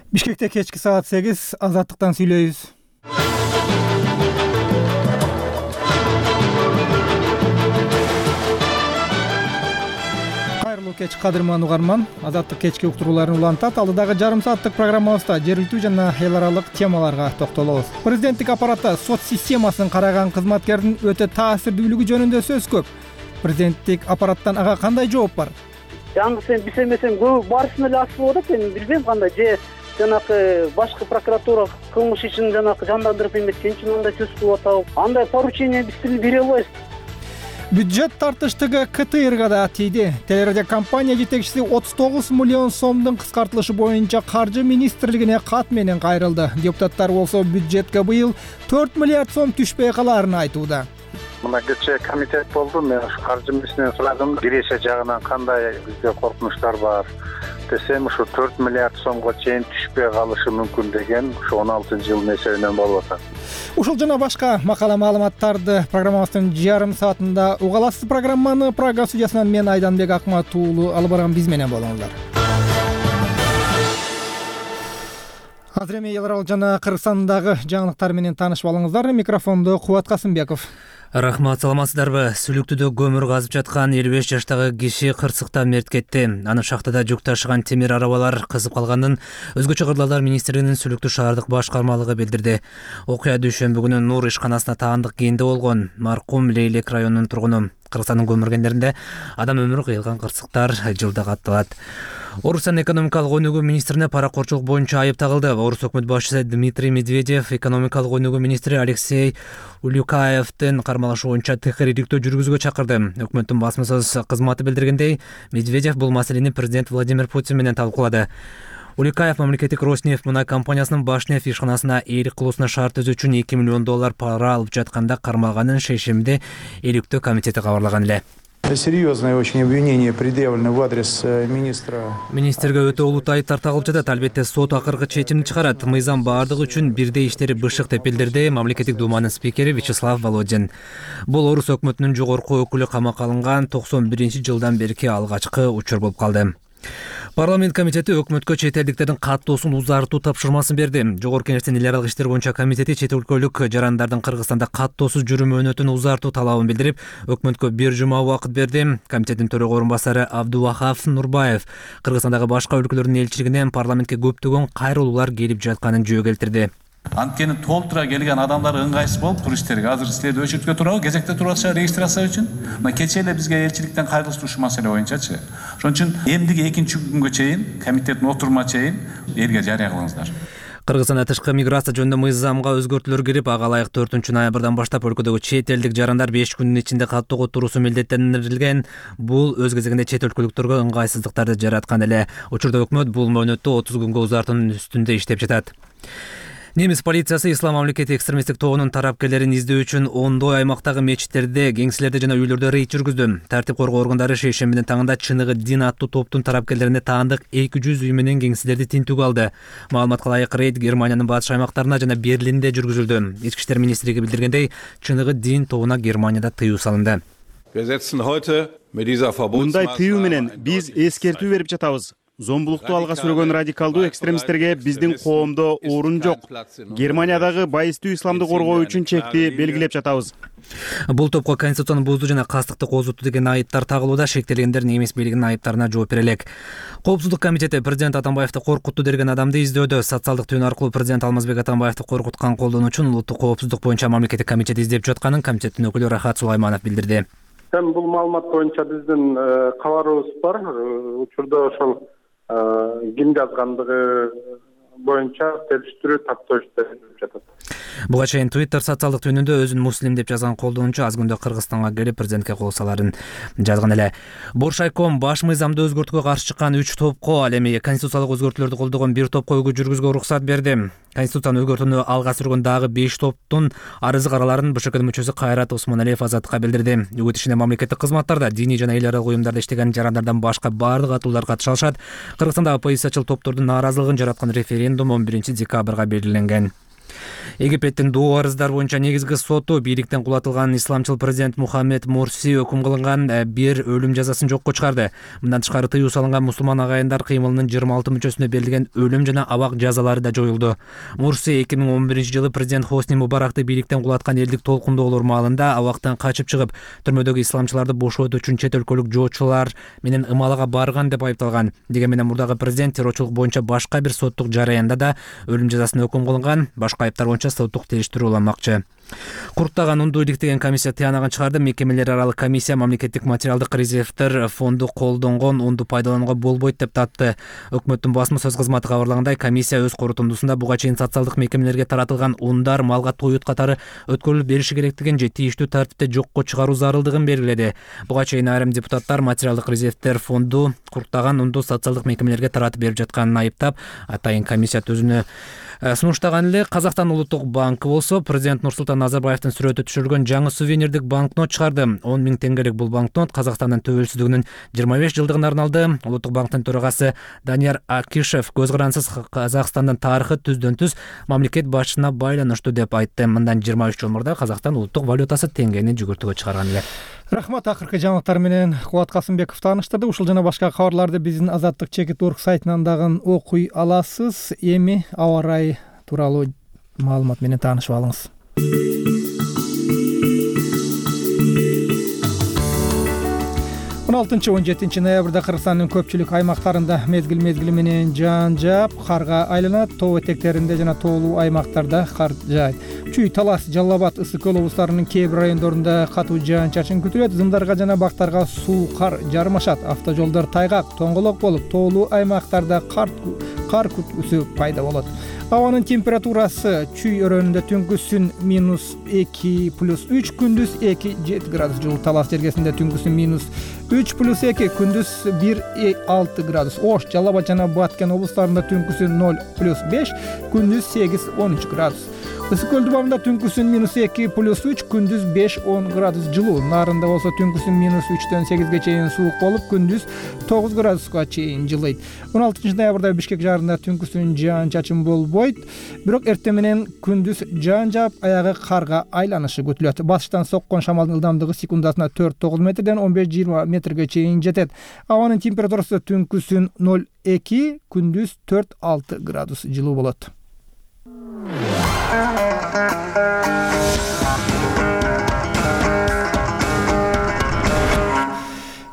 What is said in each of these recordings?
Бишкекте кечки саат 8 Азаттыктан сүйлөйбүз. Кайрылуу кеч кадырман угарман. Азаттык кечки уктурууларын улантат. Алдыдагы жарым сааттык программабызда жергиликтүү жана эл аралык темаларга токтолобуз. Президенттик аппаратта соц системасын караган кызматкердин өтө таасирдүүлүгү жөнүндө сөз көп. Президенттик аппараттан ага кандай жооп бар? Жаңы сен бисемесем көп барысына эле ачылып атат. Мен билбейм кандай же жанакы башкы прокуратура кылмыш ишин жанакы жандандырып эмес үчүн андай сөз кылып атабы. Андай поручение биз тили бере албайбыз. Бюджет тартыштыгы КТРга да тийди. Телерадиокомпания жетекчиси 39 миллион сомдун кыскартылышы боюнча Каржы министрлигине кат менен кайрылды. Депутаттар болсо бюджетке быйыл 4 миллиард сом түшпөй калаарын айтууда. Мына кечээ комитет болду. Мен каржы министринен сурадым. Киреше жагынан кандай бизде коркунучтар бар десем, ушу 4 миллиард сомго чейин түшпөй калышы мүмкүн деген ушу 16-жылдын эсебинен болуп атат. Ушул жана башка макала маалыматтарды программабыздын жарым саатында уга аласыз. Программаны Прага студиясынан мен Айданбек Акматов уулу алып барган биз менен болуңуздар. Азыр эми эл аралык жана Кыргызстандагы жаңылыктар менен таанышып алыңыздар. Микрофондо Кубат Касымбеков. Рахмат, саламатсыздарбы? Сүлүктүдө көмүр казып жаткан 55 жаштагы киши кырсыктан мерт кетти. Аны шахтада жүк ташыган темир арабалар кысып калганын Өзгөчө кырдаалдар министрлигинин Сүлүктүү шаардык башкармалыгы билдирди. Окуя дүйшөмбү күнү Нур ишканасына таандык кийинде болгон. Маркум Лейлек районунун тургуну. Кыргызстандын көмүргендеринде адам өмүрү кыйылган кырсыктар жылда катталат. Орусиянын экономикалык өнүгүү министрине паракорчулук боюнча айып тагылды. Орус өкмөт башчысы Дмитрий Медведев экономикалык өнүгүү министри Алексей Улюкаевдин кармалышы боюнча текшерүүлүктү жүргүзүүгө чакырды. Өкмөттүн басмасөз кызматы билдиргендей, Медведев бул маселени президент Владимир Путин менен талкуулады. Улюкаев мамлекеттик Роснефть мунай компаниясынын Башнефть ишканасына ээлик кылуусуна шарт түзүү үчүн $2 миллион пара алып жатканда кармалганын шейшембиде иликтөө комитети кабарлаган эле. Серьезное очень обвинение предъявлено в адрес министра. Министрге өтө улут айыптар тагылып жатат. Албетте сот акыркы чечимди чыгарат. Мыйзам баардыгы үчүн бирдей иштери бышык деп билдирди мамлекеттик думанын спикери Вячеслав Володин. Бул Орус өкмөтүнүн жогорку өкүлү камакка алынган 91-жылдан берки алгачкы учур болуп калды. Парламент комитети өкмөткө чет элдиктердин каттоосун узартуу тапшырмасын берди. Жогорку Кеңештин эл аралык иштер боюнча комитети чет өлкөлүк жарандардын Кыргызстанда каттоосуз жүрүү мөөнөтүн узартуу талабын билдирип, өкмөткө 1 жума убакыт берди. Комитеттин төрөгө орун басары Абдувахав Нурбаев Кыргызстандагы башка өлкөлөрдүн элчилигинен парламентке көптөгөн кайрылуулар келип жатканын жөө келтирди. Анткени толтура келген адамдар ыңгайсыз болуп тур иштерге. Азыр силерди өчүрткө турабы, кезекте турат регистрация үчүн. Мына кечээ эле бизге элчиликтен кайрылышты ушул маселе боюнчачы. Ошон үчүн эмдиги 2-күнгө чейин комитеттин отурма чейин элге жарыя кылыңыздар. Кыргызстанда тышкы миграция жөнүндө мыйзамга өзгөртүүлөр кирип, ага ылайык 4-ноябрдан баштап өлкөдөгү чет элдик жарандар 5 күндүн ичинде каттоого туруусу милдеттендирилген. Бул өз кезегинде чет өлкөлүктөргө ыңгайсыздыктарды жараткан эле. Учурда өкмөт бул мөөнөттү 30 күнгө узартуунун үстүндө иштеп жатат. Немис полициясы Ислам мамлекети экстремисттик тобунун тарапкерлерин издөө үчүн ондой аймактагы мечиттерде, кеңселерде жана үйлөрдө рейд жүргүздү. Тартип коргоо органдары шейшембинин таңында Чыныгы Дин аттуу топтун тарапкерлерине таандык 200 үй менен кеңселерди тинтүүгө алды. Маалыматка ылайык рейд Германиянын батыш аймактарына жана Берлинде жүргүзүлдү. Ички иштер министрлиги билдиргендей, Чыныгы Дин тобуна Германияда тыюу салынды. Мындай тыюу менен биз эскертүү берип жатабыз. Зомбулукту алга сүргөн радикалдуу экстремисттерге биздин коомдо орун жок. Германиядагы байыстуу исламды коргоо үчүн чекти белгилеп жатабыз. Бул топко конституцияны буздуу жана кастыкты козутуу деген айыптар тагылууда. Шектелгендер немис бийлигинин айыптарына жооп бере элек. Коопсуздук комитети президент Атамбаевди коркутту деген адамды издөөдө. Социалдык түйүн аркылуу президент Алмазбек Атамбаевди коркуткан колдонуучунун улуттук коопсуздук боюнча мамлекеттик комитет издеп жатканын комитеттин өкүлү Рахат Сулайманов билдирди. Бул маалымат боюнча биздин кабарыбыз бар. Учурда ошол ким жазгандыгы боюнча териштирүү тактоо иштери жүрүп жатат. Буга чейин Twitter социалдык түйүнүндө өзүн муслим деп жазган колдонуучу аз күндө Кыргызстанга келип президентке кол саларын жазган эле. Боршайком баш мыйзамды өзгөртүүгө каршы чыккан 3 топко, ал эми конституциялык өзгөртүүлөрдү колдогон 1 топко өкү жүргүзүүгө уруксат берди. Конституцияны өзгөртүүнү алга сүргөн дагы 5 топтун арызы караларын БШКнын мүчөсү Кайрат Усмоналиев Азаттыкка билдирди. Үгүт ишине мамлекеттик кызматтарда, диний жана эл аралык уюмдарда иштеген жарандардан башка бардык атуулар катыша алышат. Кыргызстанда оппозициячыл топтордун нааразылыгын жараткан референдум 11 декабрга белгиленген. Египеттин доо арыздар боюнча негизги соту бийликтен кулатылган исламчыл президент Мухаммед Мурси өкүм кылынган бир өлүм жазасын жокко чыгарды. Мындан тышкары тыюу салынган мусулман агайындар кыймылынын 26 мүчөсүнө берилген өлүм жана абак жазалары да жоюлду. Мурси 2011-жылы президент Хосни Мубаракты бийликтен кулаткан элдик толкундоолор маалында абактан качып чыгып, түрмөдөгү исламчыларды бошотуу үчүн чет өлкөлүк жоочулар менен ымалага барган деп айыпталган. Дегенмен мурдагы президент террорчулук боюнча башка бир соттук жараянда да өлүм жазасына өкүм кылынган. Башка айыптар боюнча соттук териштирүү уламакчы. Курттаган унду иликтеген комиссия тыянагын чыгарды. Мекемелер аралык комиссия мамлекеттик материалдык резервдер фонду колдонгон унду пайдаланууга болбойт деп тапты. Өкмөттүн басма сөз кызматы кабарлагандай, комиссия өз корутундусунда буга чейин социалдык мекемелерге таратылган ундар малга тоют катары өткөрүлүп бериши керектигин же тийиштүү тартипте жокко чыгаруу зарылдыгын белгиледи. Буга чейин айрым депутаттар материалдык резервдер фонду курттаган унду социалдык мекемелерге таратып берип жатканын айыптап, атайын комиссия түзүүнү сунуштаган эле. Казакстан улуттук банкы болсо президент Нурсултан Назарбаевдин сүрөтү түшүрүлгөн жаңы сувенирдик банкнот чыгарды. 10 000 теңгелик бул банкнот Казакстандын төбөлсүздүгүнүн 25 жылдыгын арналды. Улуттук банктын төрагасы Данияр Акишев көз карансыз Казакстандын тарыхы түздөн-түз мамлекет башчысына байланыштуу деп айтты. Мындан 23 жыл мурда Казакстан улуттук валютасы теңгени жүгүртүүгө чыгарган эле. Рахмат, акыркы жаңылыктар менен Кубат Касымбеков тааныштырды. Ушул жана башка кабарларды биздин Азаттык Чекит.org сайтынан дагы окуй аласыз. Эми аба ырайы тууралуу маалымат менен таанышып алыңыз. 16-17 ноябрда Кыргызстандын көпчүлүк аймактарында мезгил менен жаан жаап, карга айланат. Тоо этектеринде жана тоолуу аймактарда кар жаайт. Чүй, Талас, Жалал Абад, Ысык Көл облустарынын кээ бир райондорунда катуу жаан-чачын күтүлөт. Зымдарга жана бактарга суу кар жармашат. Автожолдор тайгак, тоңголок болуп, тоолуу аймактарда кар күткүсү пайда болот. Абанын температурасы чүй өрөөнүндө түнкүсүн -2 + 3, күндүз 2-7 градус жылуу. Талас жергесинде түнкүсүн -3 + 2, күндүз 1-6 градус. Ош, Жалал Абад жана Баткен облустарында түнкүсүн 0 + 5, күндүз 8-13 градус. Ысык Көл дубамында түнкүсүн -2 + 3, күндүз 5-10 градус жылуу. Нарында болсо түнкүсүн -3-төн 8ге чейин суук болуп, күндүз 9 градуска чейин жылыйт. 16 ноябрда Бишкек шаарында түнкүсүн жаан-чачын болбойт, бирок эртең менен күндүз жаан жаап, аягы карга айланышы күтүлөт. Батыштан соккон шамалдын ылдамдыгы секундасына 4-9 метрден 15-20 метрге чейин жетет. Абанын температурасы түнкүсүн 0-2, күндүз 4-6 градус жылуу болот.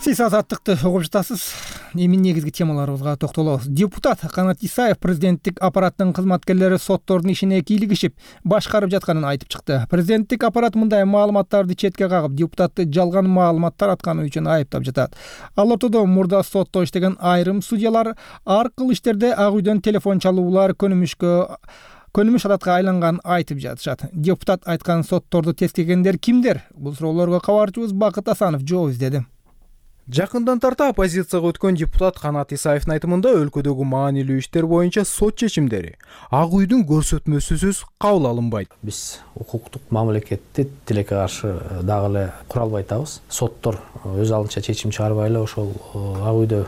Сиз Азаттыкты угуп жатасыз. Эми негизги темаларыбызга токтолобуз. Депутат Канат Исаев президенттик аппараттын кызматкерлери соттордун ишине кийлигишип, башкарып жатканын айтып чыкты. Президенттик аппарат мындай маалыматтарды четке кагып, депутатты жалган маалымат таратканы үчүн айыптап жатат. Ал ортодо мурда сотто иштеген айрым судьялар ар кыл иштерде Ак үйдөн телефон чалуулар көнүмүш адатка айланган айтып жатышат. Депутат айткан сотторду тескегендер кимдер? Бул суроолорго кабарчыбыз Бакыт Асанов жооп издеди. Жакындан тарта оппозицияга өткөн депутат Канат Исаевдин айтымында өлкөдөгү маанилүү иштер боюнча сот чечимдери Ак үйдүн көрсөтмөсүсүз кабыл алынбайт. Биз укуктук мамлекетти тилекке каршы дагы эле кура албай атабыз. Соттор өз алдынча чечим чыгарбай эле ошол Ак үйдө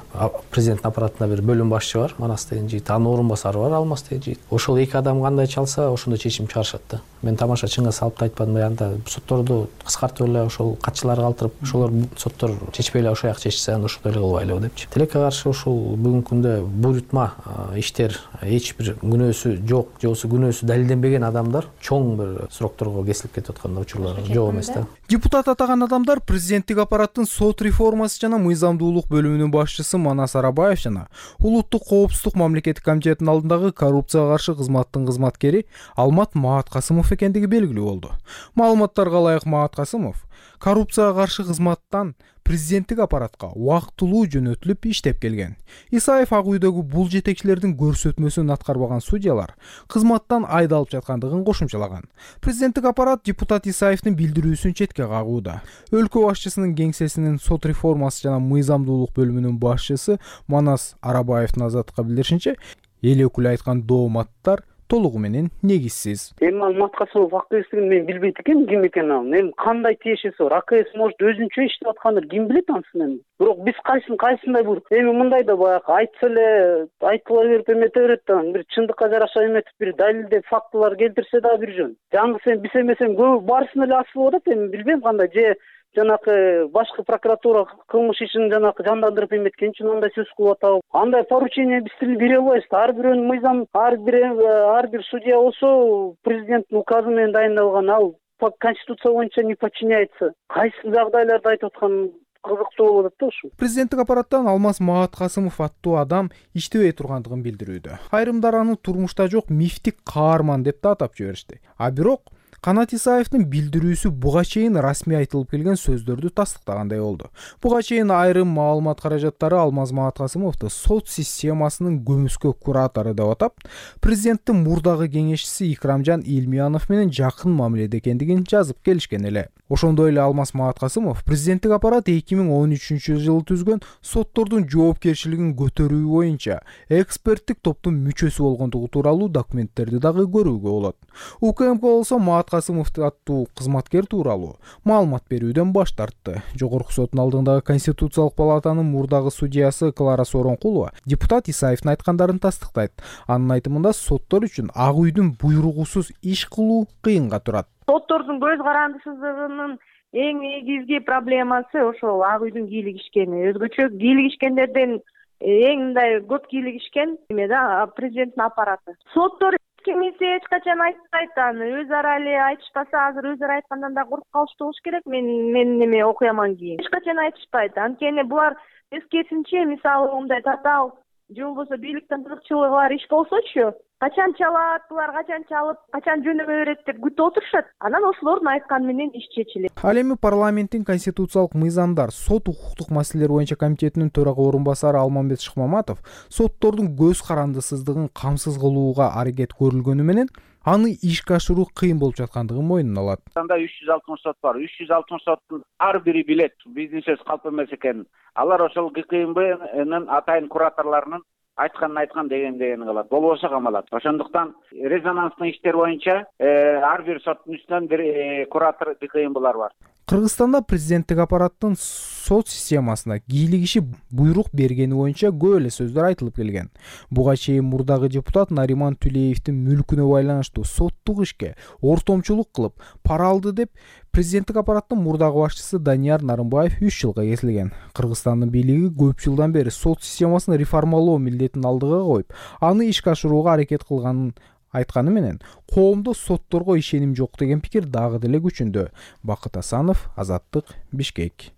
президенттин аппаратында бир бөлүм башчы бар, Манас деген жигит, анын орун басары бар, Алмаз деген жигит. Ошол эки адам кандай чалса, ошондой чечим чыгарышат да. Мен тамаша чынга салып айтпадым, аянда сотторду кыскартып эле ошол катчыларга калтырып, ошолор соттор чечпей эле ошол чечсе, ошондой эле кылбайлыбы депчи. Тилекке каршы ошол бүгүнкү күндө буйрутма иштер, эч бир күнөөсү жок, же болбосо күнөөсү далилденбеген адамдар чоң бир срокторго кесилип кетип аткан учурлар жок эмес да. Депутат атаган адамдар президенттик аппараттын сот реформасы жана мыйзамдуулук бөлүмүнүн башчысы Манас Арабаев жана улуттук коопсуздук мамлекеттик комитетинин алдындагы коррупцияга каршы кызматтын кызматкери Алмат Маат-Касымов экендиги белгилүү болду. Маалыматтарга ылайык Маат-Касымов коррупцияга каршы кызматтан президенттик аппаратка убактылуу жөнөтүлүп иштеп келген. Исаев Ак үйдөгү бул жетекчилердин көрсөтмөсүн аткарбаган судьялар кызматтан айдалып жаткандыгын кошумчалаган. Президенттик аппарат депутат Исаевдин билдирүүсүн четке кагууда. Өлкө башчысынын кеңсесинин сот реформасы жана мыйзамдуулук бөлүмүнүн башчысы Манас Арабаевдин Азаттыкка билдиришинче, эл өкүлү айткан дооматтар толугу менен негизсиз. Эми Алмат Касымов АКСтигин мен билбейт экенмин ким экенин анын. Эми кандай тиешеси бар? АКС может өзүнчө иштеп аткандыр, ким билет анысын эми. Бирок биз кайсындай бир эми мындай да баягы айтса эле айтыла берип эмете берет да, бир чындыкка жараша эметип бир далилдеп фактылар келтирсе да бир жөн. Жаңгысы биз эмесем көбү баарысына эле асылып атат, эми билбейм кандай же жанакы башкы прокуратура кылмыш ишин жанакы жандандырып эметкен үчүн андай сөз кылып атабы. Андай поручение биз тили бере албайбыз. Ар бирөөнүн мыйзам, ар бир судья болсо президенттин указы менен дайындалган, ал конституция боюнча не подчиняется. Кайсы жагдайларда айтып аткан кызыктуу болуп атат да ушу. Президенттик аппараттан Алмаз Магаткасымов аттуу адам иштебей тургандыгын билдирүүдө. Айрымдар аны турмушта жок мифтик каарман деп да атап жиберишти. А бирок Канат Исаевдин билдирүүсү буга чейин расмий айтылып келген сөздөрдү тастыктагандай болду. Буга чейин айрым маалымат каражаттары Алмаз Магаткасымовду сот системасынын көмүскө куратору деп атап, президенттин мурдагы кеңешчиси Икрамжан Илмиянов менен жакын мамиледе экендигин жазып келишкен эле. Ошондой эле Алмаз Магаткасымов президенттик аппарат 2013-жылы түзгөн соттордун жоопкерчилигин көтөрүү боюнча эксперттик топтун мүчөсү болгондугу тууралуу документтерди дагы көрүүгө болот. УКМК болсо Магаткасымов аттуу кызматкер тууралуу маалымат берүүдөн баш тартты. Жогорку соттун алдындагы Конституциялык палатанын мурдагы судьясы Клара Сооронкулова депутат Исаевдин айткандарын тастыктайт. Анын айтымында соттор үчүн Ак үйдүн буйругусуз иш кылуу кыйынга турат. Соттордун көз карандысыздыгынын эң негизги проблемасы ошол Ак үйдүн кийлигишкени. Өзгөчө кийлигишкендерден эң мындай көп кийлигишкен да президенттин аппараты. Соттор кимиси эч качан айтпайт, аны өз ара эле айтышпаса, азыр өз ара айткандан да курк калышты болуш керек. Мен неме окуяман кийин эч качан айтышпайт. Анткени булар тескерисинче, мисалы мындай татаал же болбосо бийликтин кызыкчылыгы бар иш болсочу, качан чалат булар, качан чалып, качан жөнөмө берет деп күтүп отурушат. Анан ошолордун айтканы менен иш чечилет. Ал эми парламенттин конституциялык мыйзамдар, сот укуктук маселелер боюнча комитетинин төрага орун басары Алмамбет Шыкмаматов соттордун көз карандысыздыгын камсыз кылууга аракет көрүлгөнү менен аны ишке ашыруу кыйын болуп жаткандыгын мойнуна алат. Анда 360 сот бар. 360 соттун ар бири билет биздин сөз калп эмес экенин. Алар ошол ГКМБнын атайын кураторлорунун айткан дегени кылат. Болбосо камалат. Ошондуктан резонанстуу иштер боюнча ар бир соттун үстүнөн бир куратор ГКМБлар бар. Кыргызстанда президенттик аппараттын сот системасына кийлигиши буйрук бергени боюнча көп эле сөздөр айтылып келген. Буга чейин мурдагы депутат Нариман Түлеевдин мүлкүнө байланыштуу соттук ишке ортомчулук кылып, пара алды деп президенттик аппараттын мурдагы башчысы Данияр Нарымбаев 3 жылга кесилген. Кыргызстандын бийлиги көп жылдан бери сот системасын реформалоо милдетин алдыга коюп, аны ишке ашырууга аракет кылганын айтканы менен коомдо сотторго ишеним жок деген пикир дагы деле күчүндө. Бакыт Асанов, Азаттык, Бишкек.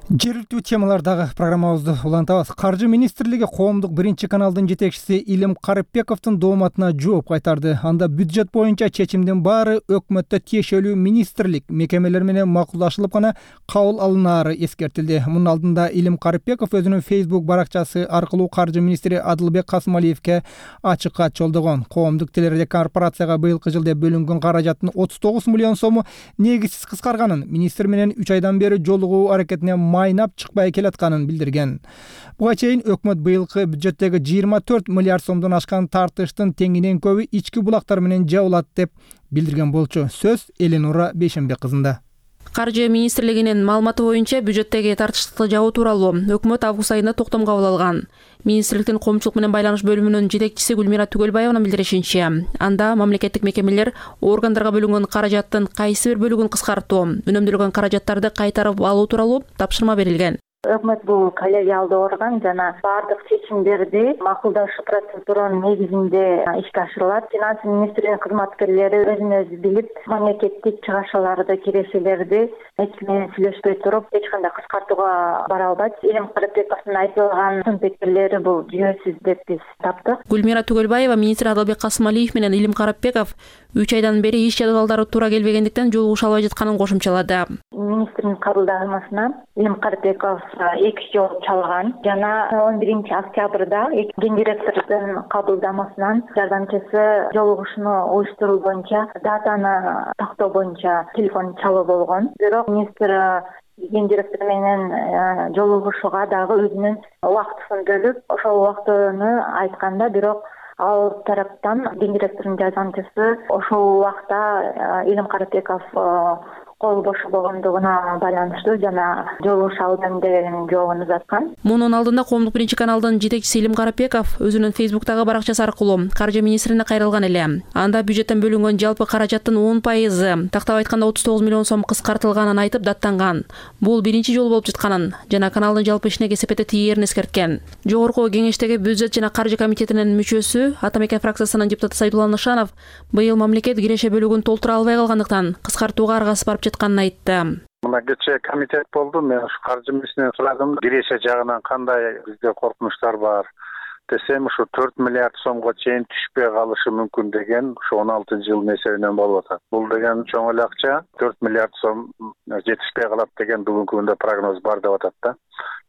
Жергиликтүү темалардагы программабызды улантабыз. Каржы министрлиги коомдук биринчи каналдын жетекчиси Илим Карыпбековдун дооматына жооп кайтарды. Анда бюджет боюнча чечимдин баары өкмөттө тиешелүү министрлик мекемелер менен макулдашылып гана кабыл алынаары эскертилди. Мунун алдында Илим Карыпбеков өзүнүн Facebook баракчасы аркылуу каржы министри Адылбек Касымалиевке ачык кат жолдогон. Коомдук телекорпорацияга быйылкы жылда бөлүнгөн каражаттын 39 миллион сому негизсиз кыскарганын, министр менен 3 айдан бери жолугуу аракетине майнап чыкпай келатканын билдирген. Буга чейин өкмөт быйылкы бюджеттеги 24 миллиард сомдон ашкан тартыштын теңинен көбү ички булактар менен жабылат деп билдирген болчу. Сөз Эленура Бейшенбек кызында. Каржы министрлигинин маалыматы боюнча бюджеттеги тартыштыкты жабуу тууралуу өкмөт август айында токтом кабыл алган. Министрликтин коомчулук менен байланыш бөлүмүнүн жетекчиси Гүлмира Түгөлбаеванын билдиришинче, анда мамлекеттик мекемелер органдарга бөлүнгөн каражаттын кайсы бир бөлүгүн кыскартуу, үнөмдөлгөн каражаттарды кайтарып алуу тууралуу тапшырма берилген. Өкмөт бул коллегиалдуу орган жана бардык чечимдерди макулдашуу процедуранын негизинде ишке ашырылат. Финанс министринин кызматкерлери өзүн өзү билип, мамлекеттик чыгашаларды, кирешелерди эч ким менен сүйлөшпөй туруп, эч кандай кыскартууга бара албайт. Илим Карыпбековдун айтылган сын пикирлери бул жүйөсүз деп биз таптык. Гүлмира Түгөлбаева министр Адылбек Касымалиев менен Илим Карыпбеков 3 айдан бери иш жадыбалдары туура келбегендиктен жолугуша албай жатканын кошумчалады. министринин кабылдамасына Илим Карапеков 2 жолу чалган жана 11 октябрда ген директордун кабылдамасынан жардамчысы жолугушууну уюштуруу боюнча датаны тактоо боюнча телефон чалуу болгон. Бирок министр ген директор менен жолугушууга дагы өзүнүн убактысын бөлүп ошол убактыны айтканда, бирок ал тараптан ген директордун жардамчысы ошол убакта Илим Карапеков кол бош болгондугуна байланыштуу жана жолугуша алдым деген жообун узаткан. Мунун алдында Коомдук биринчи каналдын жетекчиси Илим Карапеков өзүнүн Facebook'тагы баракчасы аркылуу каржы министрине кайрылган эле. Анда бюджеттен бөлүнгөн жалпы каражаттын 10%, тактап айтканда 39 миллион сом кыскартылганын айтып даттанган. Бул биринчи жолу болуп жатканын жана каналдын жалпы ишине кесепете тийерин эскерткен. Жогорку кеңештеги бюджет жана каржы комитетинин мүчөсү Атамекен фракциясынын депутаты Сайдулла Нышанов быйыл мамлекет киреше бөлүгүн толтура албай калгандыктан кыскартууга аргасып барып жатканын айтты. Мына кечээ комитет болду, мен ушу каржы министринен сурадым, киреше жагынан кандай бизде коркунучтар бар десем, ушу 4 миллиард сомго чейин түшпөй калышы мүмкүн деген ушу 16-жылдын эсебинен болуп атат. Бул деген чоң эле акча, 4 миллиард сом жетишпей калат деген бүгүнкү күндө прогноз бар деп атат да.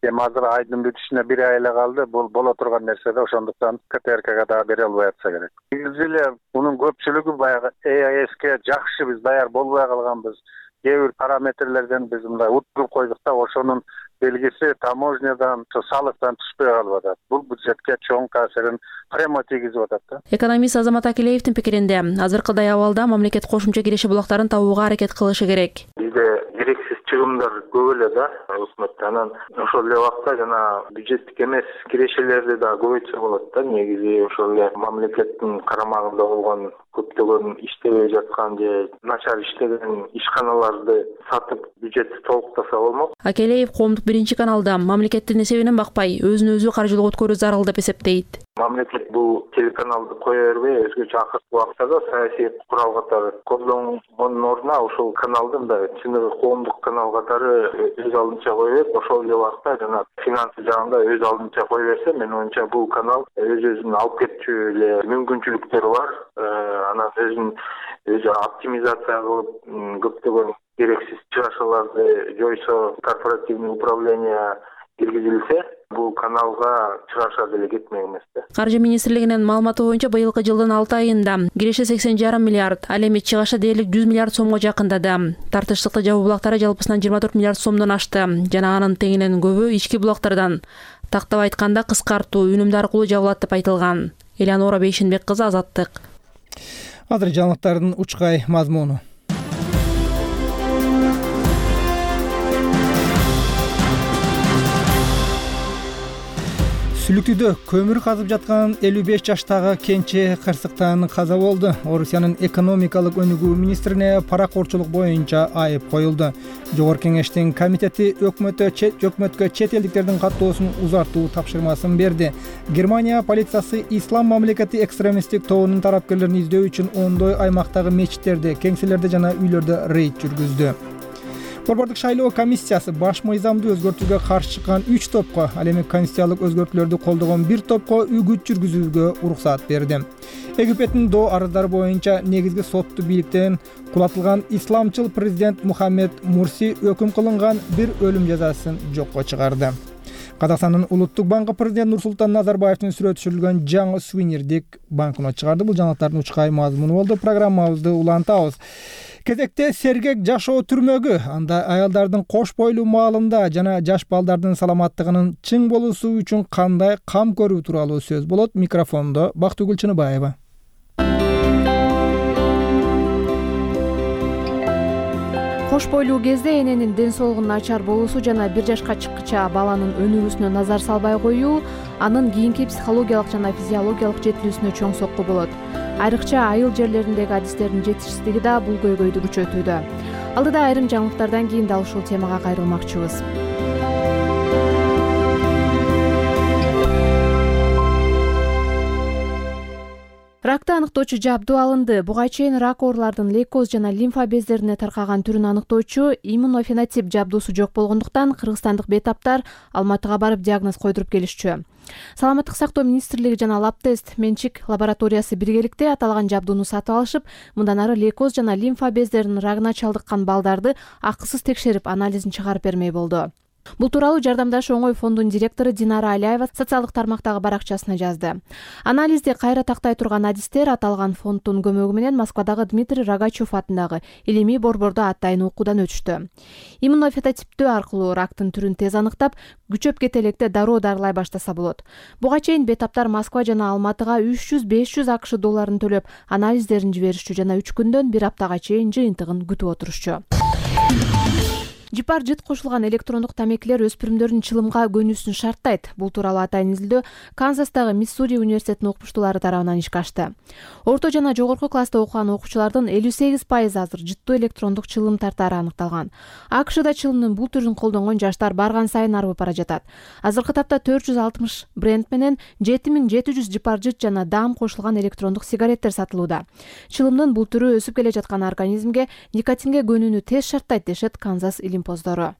Эми азыр айдын бүтүшүнө 1 ай эле калды. Бул боло турган нерсе да, ошондуктан КТРКга дагы бере албай атса керек. Негизи эле мунун көпчүлүгү баягы ЭАСке жакшы биз даяр болбой калганбыз. Кээ бир параметрлерден биз мындай утуруп койдук да, ошонун белгиси таможнядан, салыктан түшпөй калып атат. Бул бюджетке чоң таасирин прямо тийгизип атат да. Экономист Азамат Акилеевдин пикиринде, азыркыдай абалда мамлекет кошумча киреше булактарын табууга аракет кылышы керек. Бизде керексиз чыгымдар көп эле да, өкмөттө. Анан ошол эле убакта жана бюджеттик эмес кирешелерди да көбөйтсө болот да. Негизи ошол эле мамлекеттин карамагында болгон көптөгөн иштебей жаткан же начар иштеген ишканаларды сатып бюджетти толуктаса болмок. Акелеев Коомдук биринчи каналда мамлекеттин эсебинен бакпай өзүн өзү каржылык өткөрүү зарыл деп эсептейт. Мамлекет бул телеканалды кое бербей, өзгөчө акыркы убактарда саясий курал катары колдонгондун ордуна ошол каналдын да чыныгы коомдук канал катары өз алдынча кое берип, ошол эле убакта жана финансы жагында өз алдынча кое берсе, менин оюмча бул канал өзүн алып кетчү эле мүмкүнчүлүктөрү бар. Анан өзү оптимизация кылып, көптөгөн керексиз чыгашаларды жойсо, корпоративный управление киргизилсе, бул каналга чыгаша деле кетмек эмес да. Каржы министрлигинин маалыматы боюнча быйылкы жылдын 6 айында киреше 80,5 миллиард, ал эми чыгаша дээрлик 100 миллиард сомго жакындады. Тартыштыкты жабуу булактары жалпысынан 24 миллиард сомдон ашты жана анын теңинен көбү ички булактардан. Тактап айтканда кыскартуу үнүмдү аркылуу жабылат деп айтылган. Элеонора Бейшенбек кызы, Азаттык. Азыр жаңылыктардын учкай мазмуну. Сүлүктүдө көмүр казып жаткан 55 жаштагы кенче кырсыктан каза болду. Орусиянын экономикалык өнүгүү министрине паракорчулук боюнча айып коюлду. Жогорку кеңештин комитети өкмөткө чет элдиктердин каттоосун узартуу тапшырмасын берди. Германия полициясы ислам мамлекети экстремисттик тобунун тарапкерлерин издөө үчүн ондой аймактагы мечиттерде, кеңселерде жана үйлөрдө рейд жүргүздү. Борбордук шайлоо комиссиясы баш мыйзамды өзгөртүүгө каршы чыккан 3 топко, ал эми конституциялык өзгөртүүлөрдү колдогон 1 топко үгүт жүргүзүүгө уруксат берди. Египеттин доо арыздары боюнча негизги соттуу бийликтен кулатылган исламчыл президент Мухаммед Мурси өкүм кылынган бир өлүм жазасын жокко чыгарды. Казакстандын улуттук банкы президент Нурсултан Назарбаевдин сүрөтү түшүрүлгөн жаңы сувенирдик банкнот чыгарды. Бул жаңылыктардын учкай мазмуну болду. Программабызды улантабыз. Кезекте сергек жашоо түрмөгү, анда аялдардын кош бойлуу маалында жана жаш балдардын саламаттыгынын чың болуусу үчүн кандай кам көрүү тууралуу сөз болот. Микрофондо Бактыгүл Чыныбаева. Кош бойлуу кезде эненин ден соолугунун начар болуусу жана 1 жашка чыккыча баланын өнүгүүсүнө назар салбай коюу анын кийинки психологиялык жана физиологиялык жетилүүсүнө чоң сокку болот. Айрыкча айыл жерлериндеги адистердин жетишсиздиги да бул көйгөйдү күчөтүүдө. Алдыда айрым жаңылыктардан кийин дал ушул темага кайрылмакчыбыз. Ракты аныктоочу жабдуу алынды. Буга чейин рак оорулардын лейкоз жана лимфа бездерине таркаган түрүн аныктоочу иммунофенотип жабдуусу жок болгондуктан кыргызстандык бейтаптар Алматыга барып диагноз койдуруп келишчү. Саламаттык сактоо министрлиги жана Лабтест менчик лабораториясы биргеликте аталган жабдууну сатып алышып, мындан ары лейкоз жана лимфа бездеринин рагына чалдыккан балдарды акысыз текшерип, анализин чыгарып бермей болду. Бул тууралуу Жардамдаш оңой фондунун директору Динара Алиева социалдык тармактагы баракчасына жазды. Анализди кайра тактай турган адистер аталган фонддун көмөгү менен Москвадагы Дмитрий Рогачев атындагы илимий борбордо атайын окуудан өтүштү. Иммунофенотиптөө аркылуу рактын түрүн тез аныктап, күчөп кете электе дароо дарылай баштаса болот. Буга чейин бейтаптар Москва жана Алматыга 300-500 АКШ долларын төлөп анализдерин жиберишчү жана 3 күндөн 1 аптага чейин жыйынтыгын күтүп отурушчу. Жипар жыт кошулган электрондук тамекилер өспүрүмдөрдүн чылымга көнүүсүн шарттайт. Бул тууралуу атайын изилдөө Канзастагы Миссури университетинин окумуштуулары тарабынан ишке ашты. Орто жана жогорку класста окуган окуучулардын 58% азыр жыттуу электрондук чылым тартаары аныкталган. АКШда чылымдын бул түрүн колдонгон жаштар барган сайын арбып бара жатат. Азыркы тапта 460 бренд менен 7700 жипар жыт жана даам кошулган электрондук сигареттер сатылууда. Чылымдын бул түрү өсүп келе жаткан организмге никотинге көнүүнү тез шарттайт дешет Канзас поздору.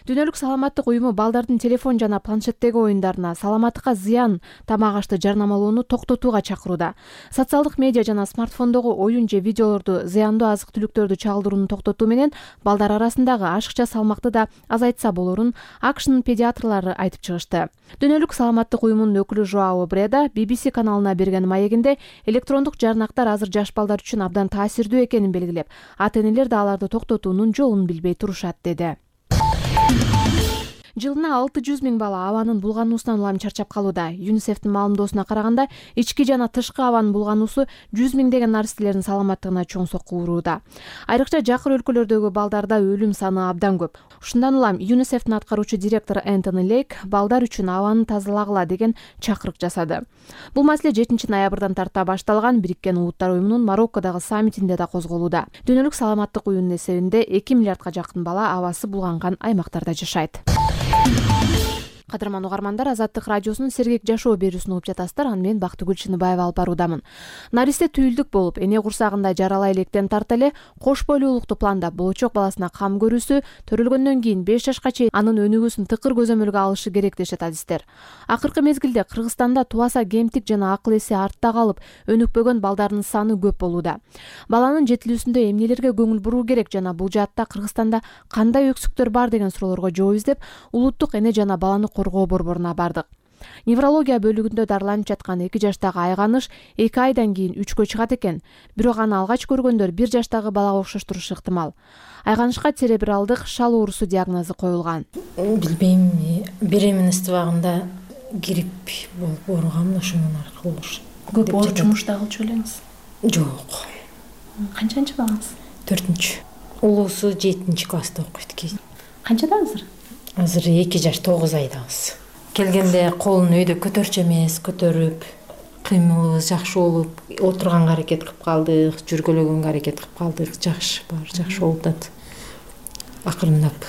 Дүйнөлүк саламаттык уюму балдардын телефон жана планшеттеги оюндарына саламаттыкка зыян тамак ашты жарнамалоону токтотууга чакырууда. Социалдык медиа жана смартфондогу оюн же видеолорду зыяндуу азык-түлүктөрдү чалдырууну токтотуу менен балдар арасындагы ашыкча салмакты да азайтса болорун АКШнын педиатрлары айтып чыгышты. Дүйнөлүк саламаттык уюмунун өкүлү Жоао Бреда BBC каналына берген маегинде электрондук жарнактар азыр жаш балдар үчүн абдан таасирдүү экенин белгилеп, ата-энелер да аларды токтотуунун жолун билбей турушат деди. Жылына 600 000 бала абанын булгануусунан улам чарчап калууда. ЮНИСЕФтин маалымдоосуна караганда, ички жана тышкы абанын булгануусу 100 000 наристелердин саламаттыгына чоң сокку урууда. Айрыкча жакыр өлкөлөрдөгү балдарда өлүм саны абдан көп. Ушундан улам ЮНИСЕФтин аткаруучу директору Энтони Лейк балдар үчүн абаны тазалагыла деген чакырык жасады. Бул маселе 7 ноябрдан тарта башталган Бириккен Улуттар уюмунун Мароккодагы саммитинде да козголууда. Дүйнөлүк саламаттык уюмунун эсебинде 2 миллиардка жакын бала абасы булганган аймактарда жашайт. Кадырман угармандар, Азаттык радиосунун сергек жашоо берүүсүн угуп жатасыздар. Аны мен Бактыгүл Чыныбаева алып баруудамын. Наристе түйүлдүк болуп, эне курсагында жаралай электен тарта эле кош бойлуулукту пландап, болочок баласына кам көрүүсү, төрөлгөндөн кийин 5 жашка чейин анын өнүгүүсүн тыкыр көзөмөлгө алышы керек дешет адистер. Акыркы мезгилде Кыргызстанда тубаса кемтик жана акыл эси артта калып, өнүкпөгөн балдардын саны көп болууда. Баланын жетилүүсүндө эмнелерге көңүл буруу керек жана бул жаатта Кыргызстанда кандай өксүктөр бар деген суроолорго жооп издеп, улуттук эне жана баланы коргоо борборуна бардык. Неврология бөлүгүндө дарыланып жаткан 2 жаштагы Айганыш 2 айдан кийин 3кө чыгат экен. Бирок аны алгач көргөндөр 1 жаштагы балага окшоштурушу ыктымал. Айганышка церебралдык шал оорусу диагнозу коюлган. Билбейм, беременность убагында грипп болуп ооругам, ошонун аркылуу. Көп оор жумушта кылчу элеңиз? Жок. Канчанчы балаңыз? 4-чү. Улуусу 7 класста окуйт кийин. Канчада азыр? Азыр 2 жаш 9 айдабыз. Келгенде колун өйдө көтөрчү эмес, көтөрүп, кыймылыбыз жакшы болуп, отурганга аракет кылып калдык, жүргөлөгөнгө аракет кылып калдык. Жакшы болуп атат. Акырындап.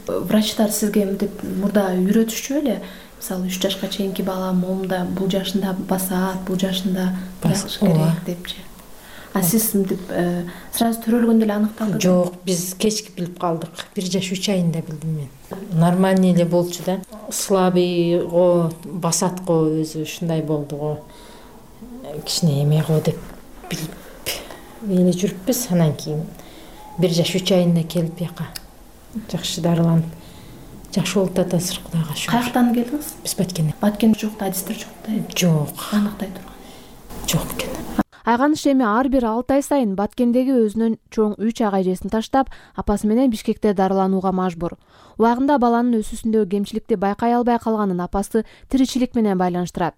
Врачтар сизге мынтип мурда үйрөтүшчү эле? Мисалы 3 жашка чейинки бала момунда бул жашында басат, бул жашында басыш керек депчи. А сиз мынтип сразу төрөлгөндө эле аныкталды? Жок, биз кечки билип калдык. 1 жаш 3 айында билдим мен. Нормальный эле болчу да. Слабый го, басат го, өзү ушундай болду го. Кичине эме го деп билип эле жүрүппүз. Анан кийин 1 жаш 3 айында келип бияка жакшы дарыланып, жакшы болуп атат азыр, Кудайга шүгүр. Каяктан келдиңиз? Биз Баткенден. Баткен жок да, адистер жок да? Жок. Аныктай турган. Жок экен. Айганыш эми ар бир 6 ай сайын Баткендеги өзүнөн чоң 3 ага эжесин таштап, апасы менен Бишкекте дарыланууга мажбур. Убагында баланын өсүүсүндөгү кемчиликти байкай албай калганын апасы тиричилик менен байланыштырат.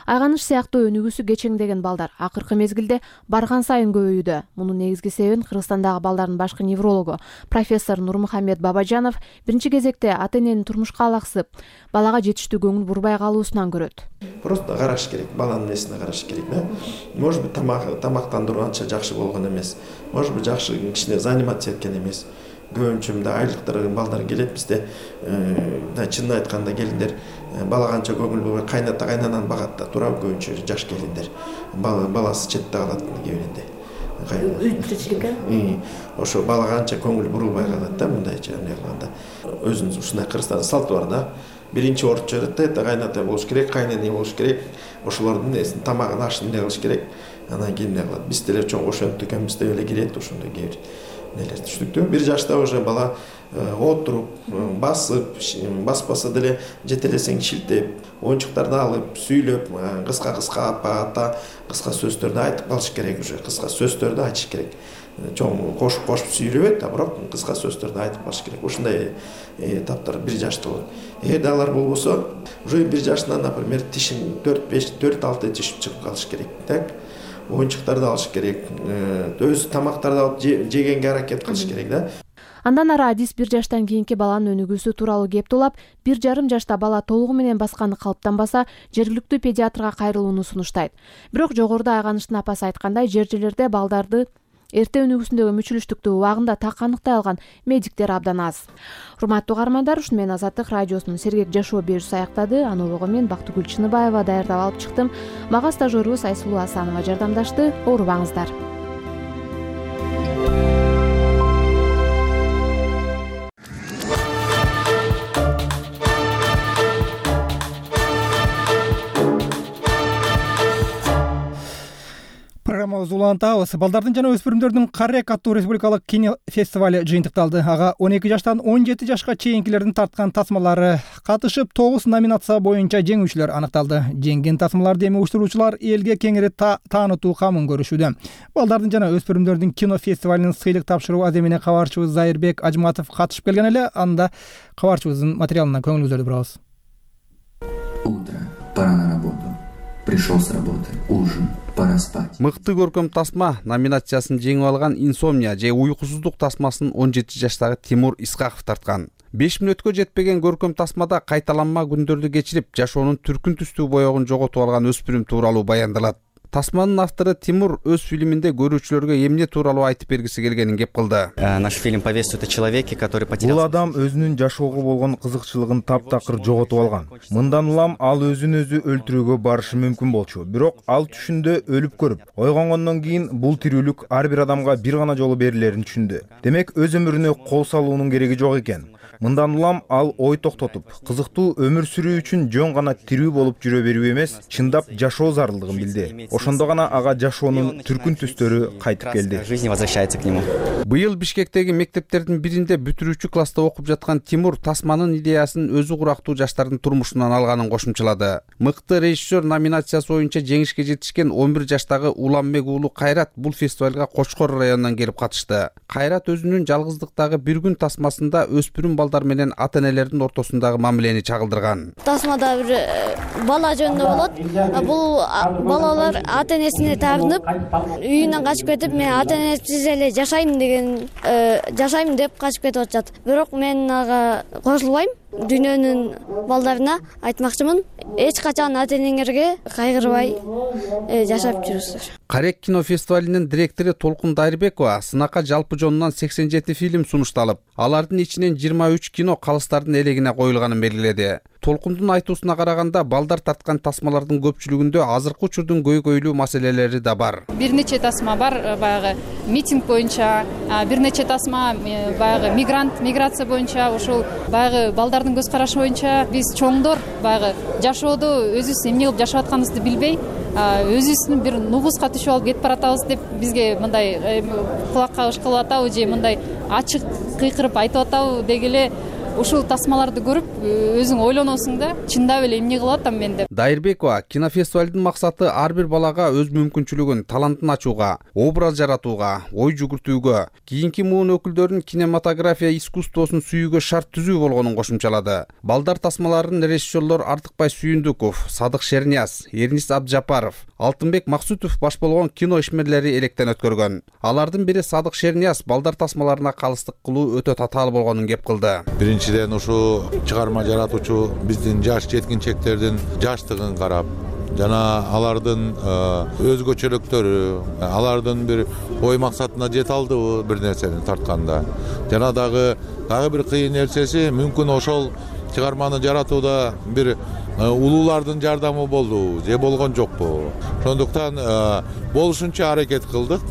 Айганыш сыяктуу өнүгүүсү кечеңдеген балдар акыркы мезгилде барган сайын көбөйүүдө. Мунун негизги себебин Кыргызстандагы балдардын башкы неврологу профессор Нурмухамед Бабажанов биринчи кезекте ата-эненин турмушка алаксып, балага жетиштүү көңүл бурбай калуусунан көрөт. Просто караш керек, баланын несине караш керек да. Может быть, тамактандыруу анча жакшы болгон эмес. Может быть, жакшы кичине заниматься эткен эмес. көбүнчө мындай айлыктар балдар келет бизде. Чынын айтканда келиндер бала канча көңүл бурбай кайната кайнананы багат да турабы көбүнчө жаш келиндер. Баласы четте калат кебиринде. Үй тиричиликке. Ошо бала канча көңүл бурулбай калат да мындайча эмне кылганда. Өзүнүн ушундай Кыргызстанда салты бар да. Биринчи орунча берет да, это кайната болуш керек, кайнене болуш керек. Ошолордун тамагын ашын эмне кылыш керек. Анан кийин эмне кылат. Биз деле чоң ошентип экенбизде эле кирет ошондой кээ нелер түштүктү. Бир жашта уже бала отуруп, басып, баспаса деле жетелесең шилтеп, оюнчуктарды алып, сүйлөп, кыска апа, ата, кыска сөздөрдү айтып калыш керек уже. Кыска сөздөрдү айтыш керек. Чоң кошуп сүйлөбөйт, бирок кыска сөздөрдү айтып калыш керек. Ушундай этаптар бир жашта болот. Эгерде алар болбосо, уже бир жашынан, например, тишин 4-6 тишип чыгып калыш керек. Так? Оюнчуктарды алыш керек. Өз тамактарды алып жегенге аракет кылыш керек да. Андан ары адис 1 жаштан кийинки баланын өнүгүүсү тууралуу кеп дулап, 1,5 жашта бала толугу менен басканы калыптанбаса, жергиликтүү педиатрга кайрылууну сунуштайт. Бирок жогоруда Айганыштын апасы айткандай, жер-жерлерде балдарды эрте өнүгүүсүндөгү мүчүлүштүктү убагында так аныктай алган медиктер абдан аз. Урматтуу угармандар, ушуну менен Азаттык радиосунун сергек жашоо берүүсү аяктады. Аны обого мен Бактыгүл Чыныбаева даярдап алып чыктым. Мага стажерубуз Айсулуу Асанова жардамдашты. Оорубаңыздар. Программабыз улантабыз. Балдардын жана өспүрүмдөрдүн Карек аттуу республикалык кино фестиваль жыйынтыкталды. Ага 12 жаштан 17 жашка чейинкилердин тарткан тасмалары катышып, 9 номинация боюнча жеңүүчүлөр аныкталды. Жеңген тасмаларды эми уюштуруучулар элге кеңири таанытуу камын көрүшүүдө. Балдардын жана өспүрүмдөрдүн кино фестивалынын сыйлык тапшыруу аземине кабарчыбыз Зайырбек Ажматов катышып келген эле. Анда кабарчыбыздын материалына көңүлүңүздөрдү бурабыз. Утро, пора на работу. Пришел с работы, ужин, пора спать. Мыкты көркөм тасма номинациясын жеңип алган «Инсомния» же уйкусуздук тасмасын 17 жаштагы Тимур Исхаков тарткан. 5 мүнөткө жетпеген көркөм тасмада кайталанма күндөрдү кечирип, жашоонун түркүн түстүү боёгун жоготуп алган өспүрүм тууралуу баяндалат. Тасманын автору Тимур өз фильминде көрүүчүлөргө эмне тууралуу айтып бергиси келгенин кеп кылды. Наш фильм повествует о человеке, который потерял. Бул адам өзүнүн жашоого болгон кызыкчылыгын таптакыр жоготуп алган. Мындан улам ал өзүн өзү өлтүрүүгө барышы мүмкүн болчу. Бирок ал түшүндө өлүп көрүп, ойгонгондон кийин бул тирүүлүк ар бир адамга бир гана жолу берилерин түшүндү. Демек өз өмүрүнө кол салуунун кереги жок экен. Мындан улам ал ой токтотуп, кызыктуу өмүр сүрүү үчүн жөн гана тирүү болуп жүрө берүү эмес, чындап жашоо зарылдыгын билди. Ошондо гана ага жашоонун түркүн түстөрү кайтып келди. Жизнь возвращается к нему. Быйыл Бишкектеги мектептердин биринде бүтүрүүчү класста окуп жаткан Тимур тасманын идеясын өзү курактуу жаштардын турмушунан алганын кошумчалады. Мыкты режиссер номинациясы боюнча жеңишке жетишкен 11 жаштагы Уламбек уулу Кайрат бул фестивалга Кочкор районунан келип катышты. Кайрат өзүнүн жалгыздыктагы бир күн тасмасында өспүрүм балдар менен ата-энелердин ортосундагы мамилени чагылдырган. Тасмада бир бала жөнүндө болот. Бул балалар ата-энесине табынып, үйүнөн качып кетип, мен ата-энесиз эле жашайм деп качып кетип атышат. Бирок мен ага кошулбайм. Дүйнөнүн балдарына айтмакчымын, эч качан ата-энеңерге кайгырбай жашап жүрүңүздөр. Карек кино фестивалинин директору Толкун Дайырбекова сынакка жалпы жонунан 87 фильм сунушталып, алардын ичинен 23 кино калыстардын элегине коюлганын белгиледи. Толкундун айтуусуна караганда, балдар тарткан тасмалардын көпчүлүгүндө азыркы учурдун көйгөйлүү маселелери да бар. Бир нече тасма бар, баягы митинг боюнча, бир нече тасма баягы миграция боюнча, ошол баягы балдардын көз карашы боюнча биз чоңдор баягы жашоодо өзүбүз эмне кылып жашап атканыбызды билбей, өзүбүздүн бир нугуска түшүп алып кетип баратабыз деп бизге мындай кулак кагыш кылып атабы же мындай ачык кыйкырып айтып атабы дегеле ушул тасмаларды көрүп өзүң ойлоносуң да, чындап эле эмне кылып атам мен деп. Дайырбекова кинофестивалдын максаты ар бир балага өз мүмкүнчүлүгүн, талантын ачууга, образ жаратууга, ой жүгүртүүгө, кийинки муун өкүлдөрүнүн кинематография искусствосун сүйүүгө шарт түзүү болгонун кошумчалады. Балдар тасмаларын режиссерлор Артыкбай Сүйүндүков, Садык Шернияз, Эрнис Абджапаров, Алтынбек Максутов баш болгон кино ишмерлери электен өткөргөн. Алардын бири Садык Шернияз балдар тасмаларына калыстык кылуу өтө татаал болгонун кеп кылды. Биринчиден ушу чыгарма жаратуучу биздин жаш жеткинчектердин жаштыгын карап, жана алардын өзгөчөлүктөрү, алардын бир ой максатына жете алдыбы бир нерсени тартканда, жана дагы бир кыйын нерсеси мүмкүн ошол чыгарманы жаратууда бир улуулардын жардамы болду же болгон жокпу. Ошондуктан болушунча аракет кылдык.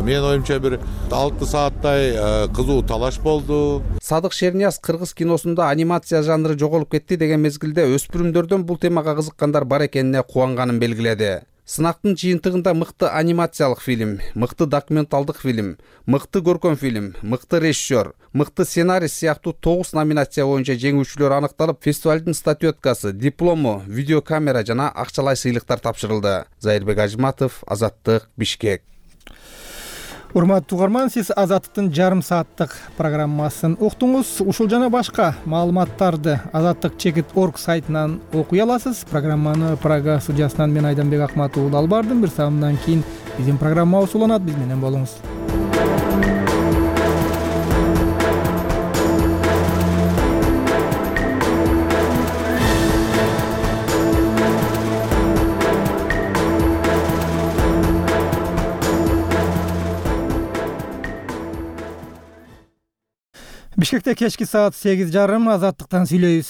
Менин оюмча бир 6 сааттай кызуу талаш болду. Садык Шернияз кыргыз киносунда анимация жанры жоголуп кетти деген мезгилде өспүрүмдөрдөн бул темага кызыккандар бар экенине кубанганын белгиледи. Сынактын жыйынтыгында мыкты анимациялык фильм, мыкты документалдык фильм, мыкты көркөм фильм, мыкты режиссер, мыкты сценарий сыяктуу 9 номинация боюнча жеңүүчүлөр аныкталып, фестивалдын статуэткасы, диплому, видеокамера жана акчалай сыйлыктар тапшырылды. Зайырбек Ажматов, Азаттык, Бишкек. Урматтуу угарман, сиз Азаттыктын жарым сааттык программасын уктуңуз. Ушул жана башка маалыматтарды azattik.org сайтынан окуй аласыз. Программаны Прага студиясынан мен Айданбек Акматов алып бардым. Бир саамдан кийин биздин программабыз уланат. Биз менен болуңуз. Бишкекте кечки саат 8:30 Азаттыктан сүйлөйбүз.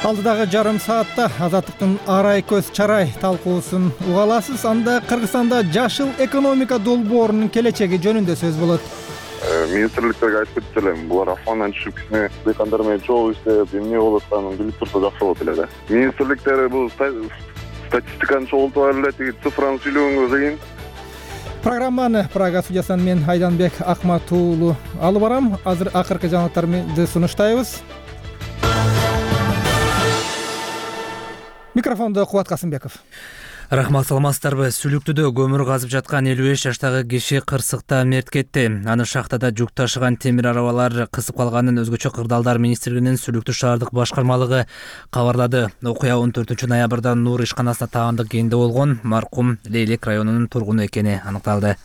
Алдыдагы жарым саатта Азаттыктын арай көз чарай талкуусун уга аласыз. Анда Кыргызстанда жашыл экономика долбоорунун келечеги жөнүндө сөз болот. Министрликтерге айтып кетип элем, булар асмандан түшүп кичине дыйкандар менен чогуу иштеп, эмне болуп атканын билип турса жакшы болот эле да. Министрликтер бул статистиканы чогултуп алып эле, тиги цифраны сүйлөгөнгө кыйын. Программаны Прага студиясынан мен Айданбек Акматов уулу алып барам. Азыр акыркы жаңылыктарды сунуштайбыз. Микрофондо Кубат Касымбеков. Рахмат, саламатсыздарбы? Сүлүктүдө көмүр казып жаткан 55 жаштагы киши кырсыкта мерт кетти. Аны шахтада жүк ташыган темир арабалар кысып калганын өзгөчө кырдаалдар министрлигинин Сүлүктүү шаардык башкармалыгы кабарлады. Окуя 14 ноябрда Нур ишканасына таандык кээинде болгон. Маркум Лейлек районунун тургуну экени аныкталды.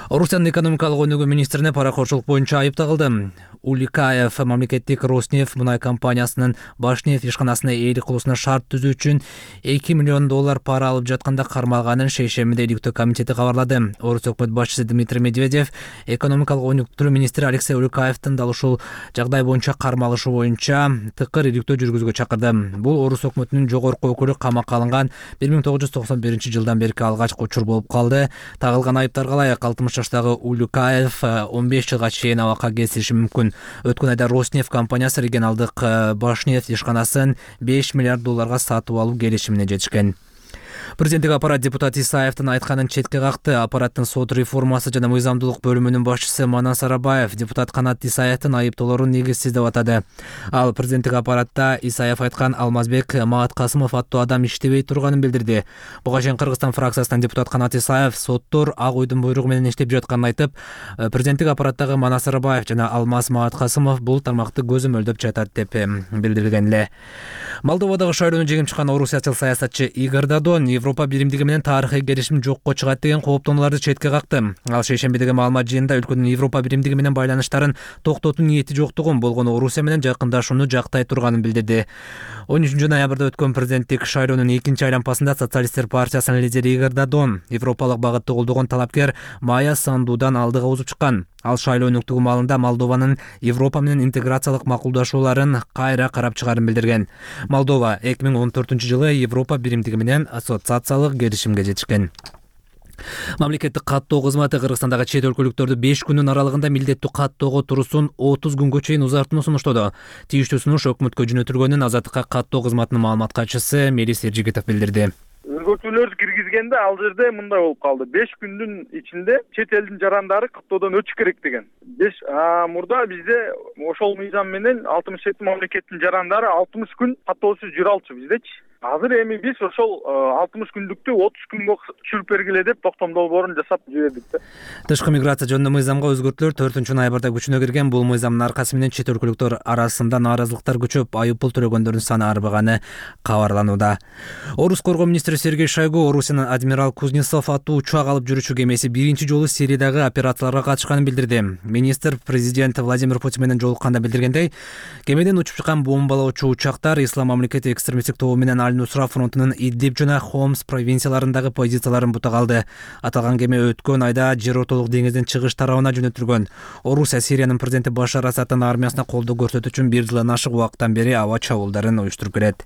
Орусиянын экономикалык өнүгүү министрине паракорчулук боюнча айып тагылды. Уликаев мамлекеттик Роснефть мунай компаниясынын Башнефть ишканасына ээлик кылуусуна шарт түзүү үчүн $2 миллион пара алып жатканда кармалганын шейшембиде иликтөө комитети кабарлады. Орус өкмөт башчысы Дмитрий Медведев экономикалык өнүктүрүү министри Алексей Уликаевдин дал ушул жагдай боюнча кармалышы боюнча тыкыр иликтөө жүргүзүүгө чакырды. Бул Орус өкмөтүнүн жогорку өкүлү камакка алынган 1991 жылдан берки алгачкы учур болуп калды. Тагылган айыптарга ылайык 60 жаштагы Уликаев 15 жылга чейин абакка кесилиши мүмкүн. Өткөн айда Роснефть компаниясы регионалдык Башнефть ишканасын $5 миллиард сатып алуу келишимине жетишкен. Президенттик аппарат депутат Исаевдин айтканын четке какты. Аппараттын сот реформасы жана мыйзамдуулук бөлүмүнүн башчысы Манас Арабаев депутат Канат Исаевдин айыптоолорун негизсиз деп атады. Ал президенттик аппаратта Исаев айткан Алмазбек Маат-Касымов аттуу адам иштебей турганын билдирди. Буга чейин Кыргызстан фракциясынан депутат Канат Исаев соттор ак уйдун буйругу менен иштеп жатканын айтып, президенттик аппараттагы Манас Арабаев жана Алмаз Маат-Касымов бул тармакты көзөмөлдөп жатат деп билдирилген эле. Молдовадагы шайлоону жеңип чыккан орусиячыл саясатчы Игорь Додон Европа биримдиги менен тарыхый келишим жокко чыгат деген кооптонууларды четке какты. Ал шейшембидеги маалымат жыйынында өлкөнүн Европа биримдиги менен байланыштарын токтотуу ниети жоктугун, болгону Орусия менен жакындашууну жактай турганын билдирди. 13 ноябрда өткөн президенттик шайлоонун экинчи айлампасында социалисттер партиясынын лидери Игорь Додон европалык багытты колдогон талапкер Майя Сандудан алдыга узуп чыккан. Ал шайлоо өнүктүгү маалында Молдованын Европа менен интеграциялык макулдашууларын кайра карап чыгарын билдирген. Молдова 2014 жылы Европа биримдиги менен ассоциациялык келишимге жетишкен. Мамлекеттик каттоо кызматы Кыргызстандагы чет өлкөлүктөрдү 5 күнүн аралыгында милдеттүү каттоого туруусун 30 күнгө чейин узартууну сунуштоду. Тийиштүү сунуш өкмөткө жөнөтүлгөнүн Азаттыкка каттоо кызматынын маалымат катчысы Мелис Эржигитов билдирди. Өзгөртүүлөрдү киргизгенде ал жерде мындай болуп калды. 5 күндүн ичинде чет элдин жарандары каттоодон өтүш керек деген. Мурда бизде ошол мыйзам менен 67 мамлекеттин жарандары 60 күн каттоосуз жүрө алчу биздечи. Азыр эми биз ошол 60 күндүктү 30 күнгө түшүрүп бергиле деп токтом долбоорун жасап жибердик да. Тышкы миграция жөнүндө мыйзамга өзгөртүүлөр 4-ноябрда күчүнө кирген. Бул мыйзамдын аркасы менен чет өлкөлүктөр арасында нааразылыктар күчөп, айыппул төлөгөндөрдүн саны арбаганы кабарланууда. Орус коргоо министри Сергей Шойгу Орусиянын адмирал Кузнецов аттуу учак алып жүрүүчү кемеси биринчи жолу Сириядагы операцияларга катышканын билдирди. Министр президент Владимир Путин менен жолукканда билдиргендей, кемеден учуп чыккан бомбалоочу учактар Ислам мамлекети экстремисттик тобу менен Аль-Нусра фронтунун Идлиб жана Хомс провинцияларындагы позицияларын бутак алды. Аталган кеме өткөн айда Жер ортолук деңиздин чыгыш тарабына жөнөтүлгөн. Орусия Сириянын президенти Башар Асаддын армиясына колдоо көрсөтүү үчүн 1 жылдан ашык убакыттан бери аба чабуулдарын уюштуруп келет.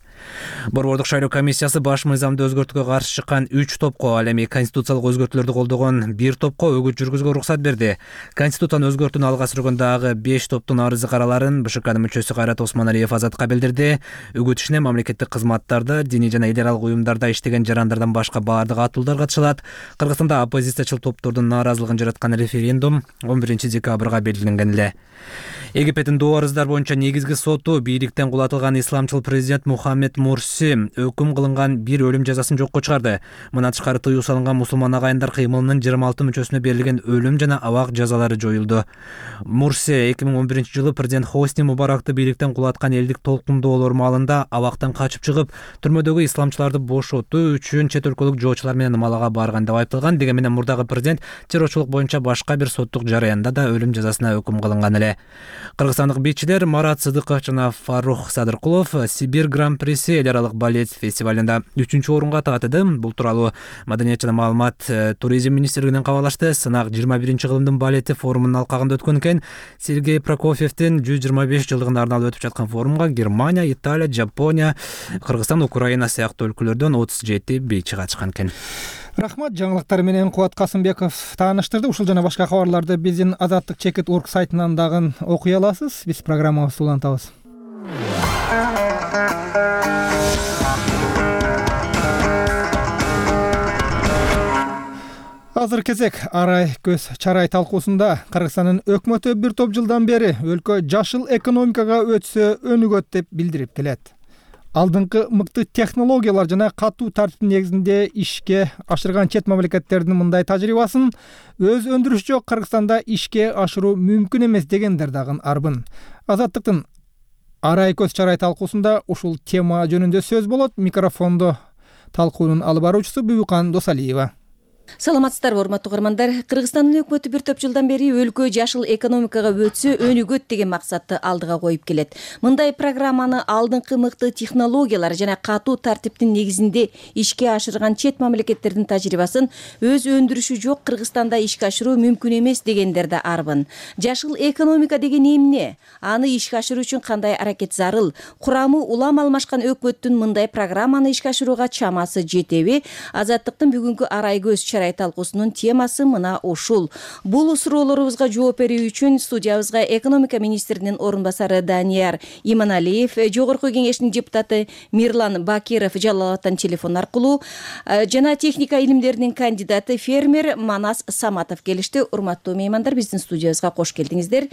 Борбордук шайлоо комиссиясы баш мыйзамды өзгөртүүгө каршы чыккан 3 топко, ал эми конституциялык өзгөртүүлөрдү колдогон 1 топко өгүт жүргүзүүгө уруксат берди. Конституцияны өзгөртүүнү алга сүргөн дагы 5 топтун арызы караларын БШКнын мүчөсү Кайрат Осмоналиев Азатка билдирди. Үгүт ишине мамлекеттик кызматтарда, диний жана идеалдык уюмдарда иштеген жарандардан башка баардык аттуулдар катышат. Кыргызстанда оппозициячыл топтордун нааразылыгын жараткан референдум 11-декабрга белгиленген эле. Египеттин доо арыздар боюнча негизги соту бийликтен кулатылган исламчыл президент Мухаммед Мурси өкүм кылынган 1 өлүм жазасын жокко чыгарды. Мына тышкары тыюу салынган мусулман агайындар кыймылынын 26 мүчөсүнө берилген өлүм жана абак жазалары жоюлду. Мурси 2011-жылы президент Хосни Мубаракты бийликтен кулаткан элдик толкундоолор маалында абактан качып чыгып, түрмөдөгү исламчыларды бошотуу үчүн чет өлкөлүк жоочулар менен Малага барган деп айыпталган. Дегенмен мурдагы президент террорчулук боюнча башка бир соттук жараянда да өлүм жазасына өкүм кылынган эле. Кыргызстандык бичилер Марат Сыдыков жана Фарух Садыркулов Сибирь гран-приси эл аралык балет фестивалында 3-орунга таатыды. Бул тууралуу Маданият жана маалымат туризм министрлигинен кабарлашты. Сынак 21-кылымдын балети форумунун алкагында өткөн экен. Сергей Прокофьевдин 125 жылдыгына арналып өтүп жаткан форумга Германия, Италия, Жапония, Кыргызстан, Украина сыяктуу өлкөлөрдөн 37 бийчи катышкан экен. Рахмат, жаңылыктар менен Кубат Касымбеков тааныштырды. Ушул жана башка кабарларды биздин Азаттык Чекит.org сайтынан дагы окуй аласыз. Биз программабызды улантабыз. Азыр кезек арай көз чарай талкуусунда. Кыргызстандын өкмөтү бир топ жылдан бери өлкө жашыл экономикага өтсө өнүгөт деп билдирип келет. Алдыңкы мыкты технологиялар жана катуу тартиптин негизинде ишке ашырган чет мамлекеттердин мындай тажрыйбасын өз өндүрүшү жок Кыргызстанда ишке ашыруу мүмкүн эмес дегендер дагы арбын. Азаттыктын арай көз чарай талкуусунда ушул тема жөнүндө сөз болот. Микрофондо талкуунун алып баруучусу Бүбүкан Досалиева. Саламатсыздарбы, урматтуу угармандар. Кыргызстандын өкмөтү бир топ жылдан бери өлкө жашыл экономикага өтсө өнүгөт деген максатты алдыга коюп келет. Мындай программаны алдыңкы мыкты технологиялар жана катуу тартиптин негизинде ишке ашырган чет мамлекеттердин тажрыйбасын өз өндүрүшү жок Кыргызстанда ишке ашыруу мүмкүн эмес дегендер да арбын. Жашыл экономика деген эмне? Аны ишке ашыруу үчүн кандай аракет зарыл? Курамы улам алмашкан өкмөттүн мындай программаны ишке ашырууга чамасы жетеби? Азаттыктын бүгүнкү арай көз чарай талкуусунун темасы мына ушул. Бул суроолорубузга жооп берүү үчүн студиябызга экономика министринин орун басары Данияр Иманалиев, жогорку кеңештин депутаты Мирлан Бакиров Жалал Абадтан телефон аркылуу жана техника илимдеринин кандидаты фермер Манас Саматов келишти. Урматтуу меймандар, биздин студиябызга кош келдиңиздер.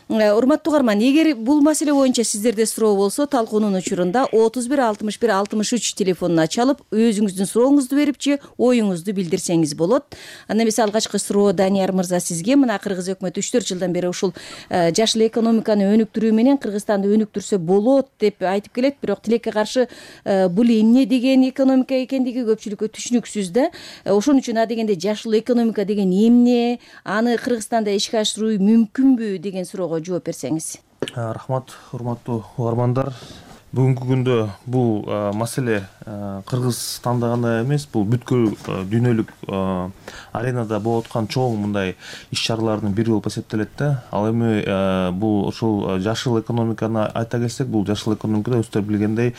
Урматтуу угарман, эгер бул маселе боюнча сиздерде суроо болсо, талкуунун учурунда 31 61 63 телефонуна чалып, өзүңүздүн сурооңузду берип же оюңузду билдирсеңиз болот. Андан эмесе алгачкы суроо Данияр мырза сизге. Мына Кыргыз өкмөтү 3-4 жылдан бери ушул жашыл экономиканы өнүктүрүү менен Кыргызстанды өнүктүрсө болот деп айтып келет, бирок тилекке каршы бул эмне деген экономика экендиги көпчүлүккө түшүнүксүз да. Ошон үчүн дегенде жашыл экономика деген эмне, аны Кыргызстанда ишке ашыруу мүмкүнбү деген суроого жооп берсеңиз. Рахмат, урматтуу угармандар. Бүгүнкү күндө бул маселе Кыргызстанда гана эмес, бул бүткүл дүйнөлүк аренада болуп аткан чоң мындай иш-чаралардын бири болуп эсептелет да. Ал эми бул ошол жашыл экономиканы айта келсек, бул жашыл экономикада өздөрү билгендей,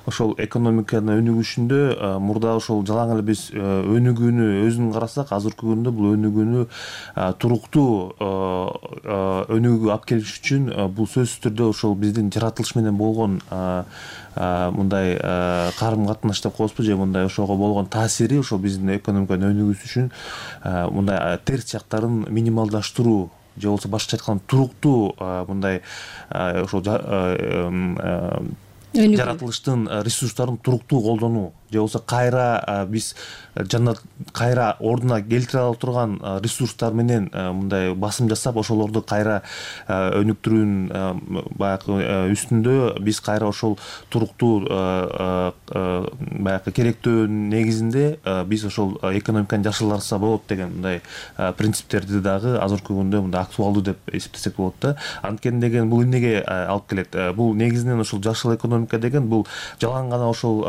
ошол экономиканын өнүгүшүндө мурда ошол жалаң эле биз өнүгүүнү өзүн карасак, азыркы күндө бул өнүгүүнү туруктуу өнүгүүгө алып келиш үчүн бул сөзсүз түрдө ошол биздин жаратылыш менен болгон мындай карым катнаш деп коебузбу, же мындай ошого болгон таасири ошол биздин экономиканын өнүгүүсү үчүн мындай терс жактарын минималдаштыруу же болбосо башкача айтканда туруктуу мындай ошол жаратылыштын ресурстарын туруктуу колдонуу же болбосо кайра биз жана кайра ордуна келтире ала турган ресурстар менен мындай басым жасап ошолорду кайра өнүктүрүүнүн баягы үстүндө биз кайра ошол туруктуу баягы керектөөнүн негизинде биз ошол экономиканы жакшыртса болот деген мындай принциптерди дагы азыркы күндө мындай актуалдуу деп эсептесек болот да. Анткени деген бул эмнеге алып келет? Бул негизинен ошол жашыл экономика деген бул жалаң гана ошол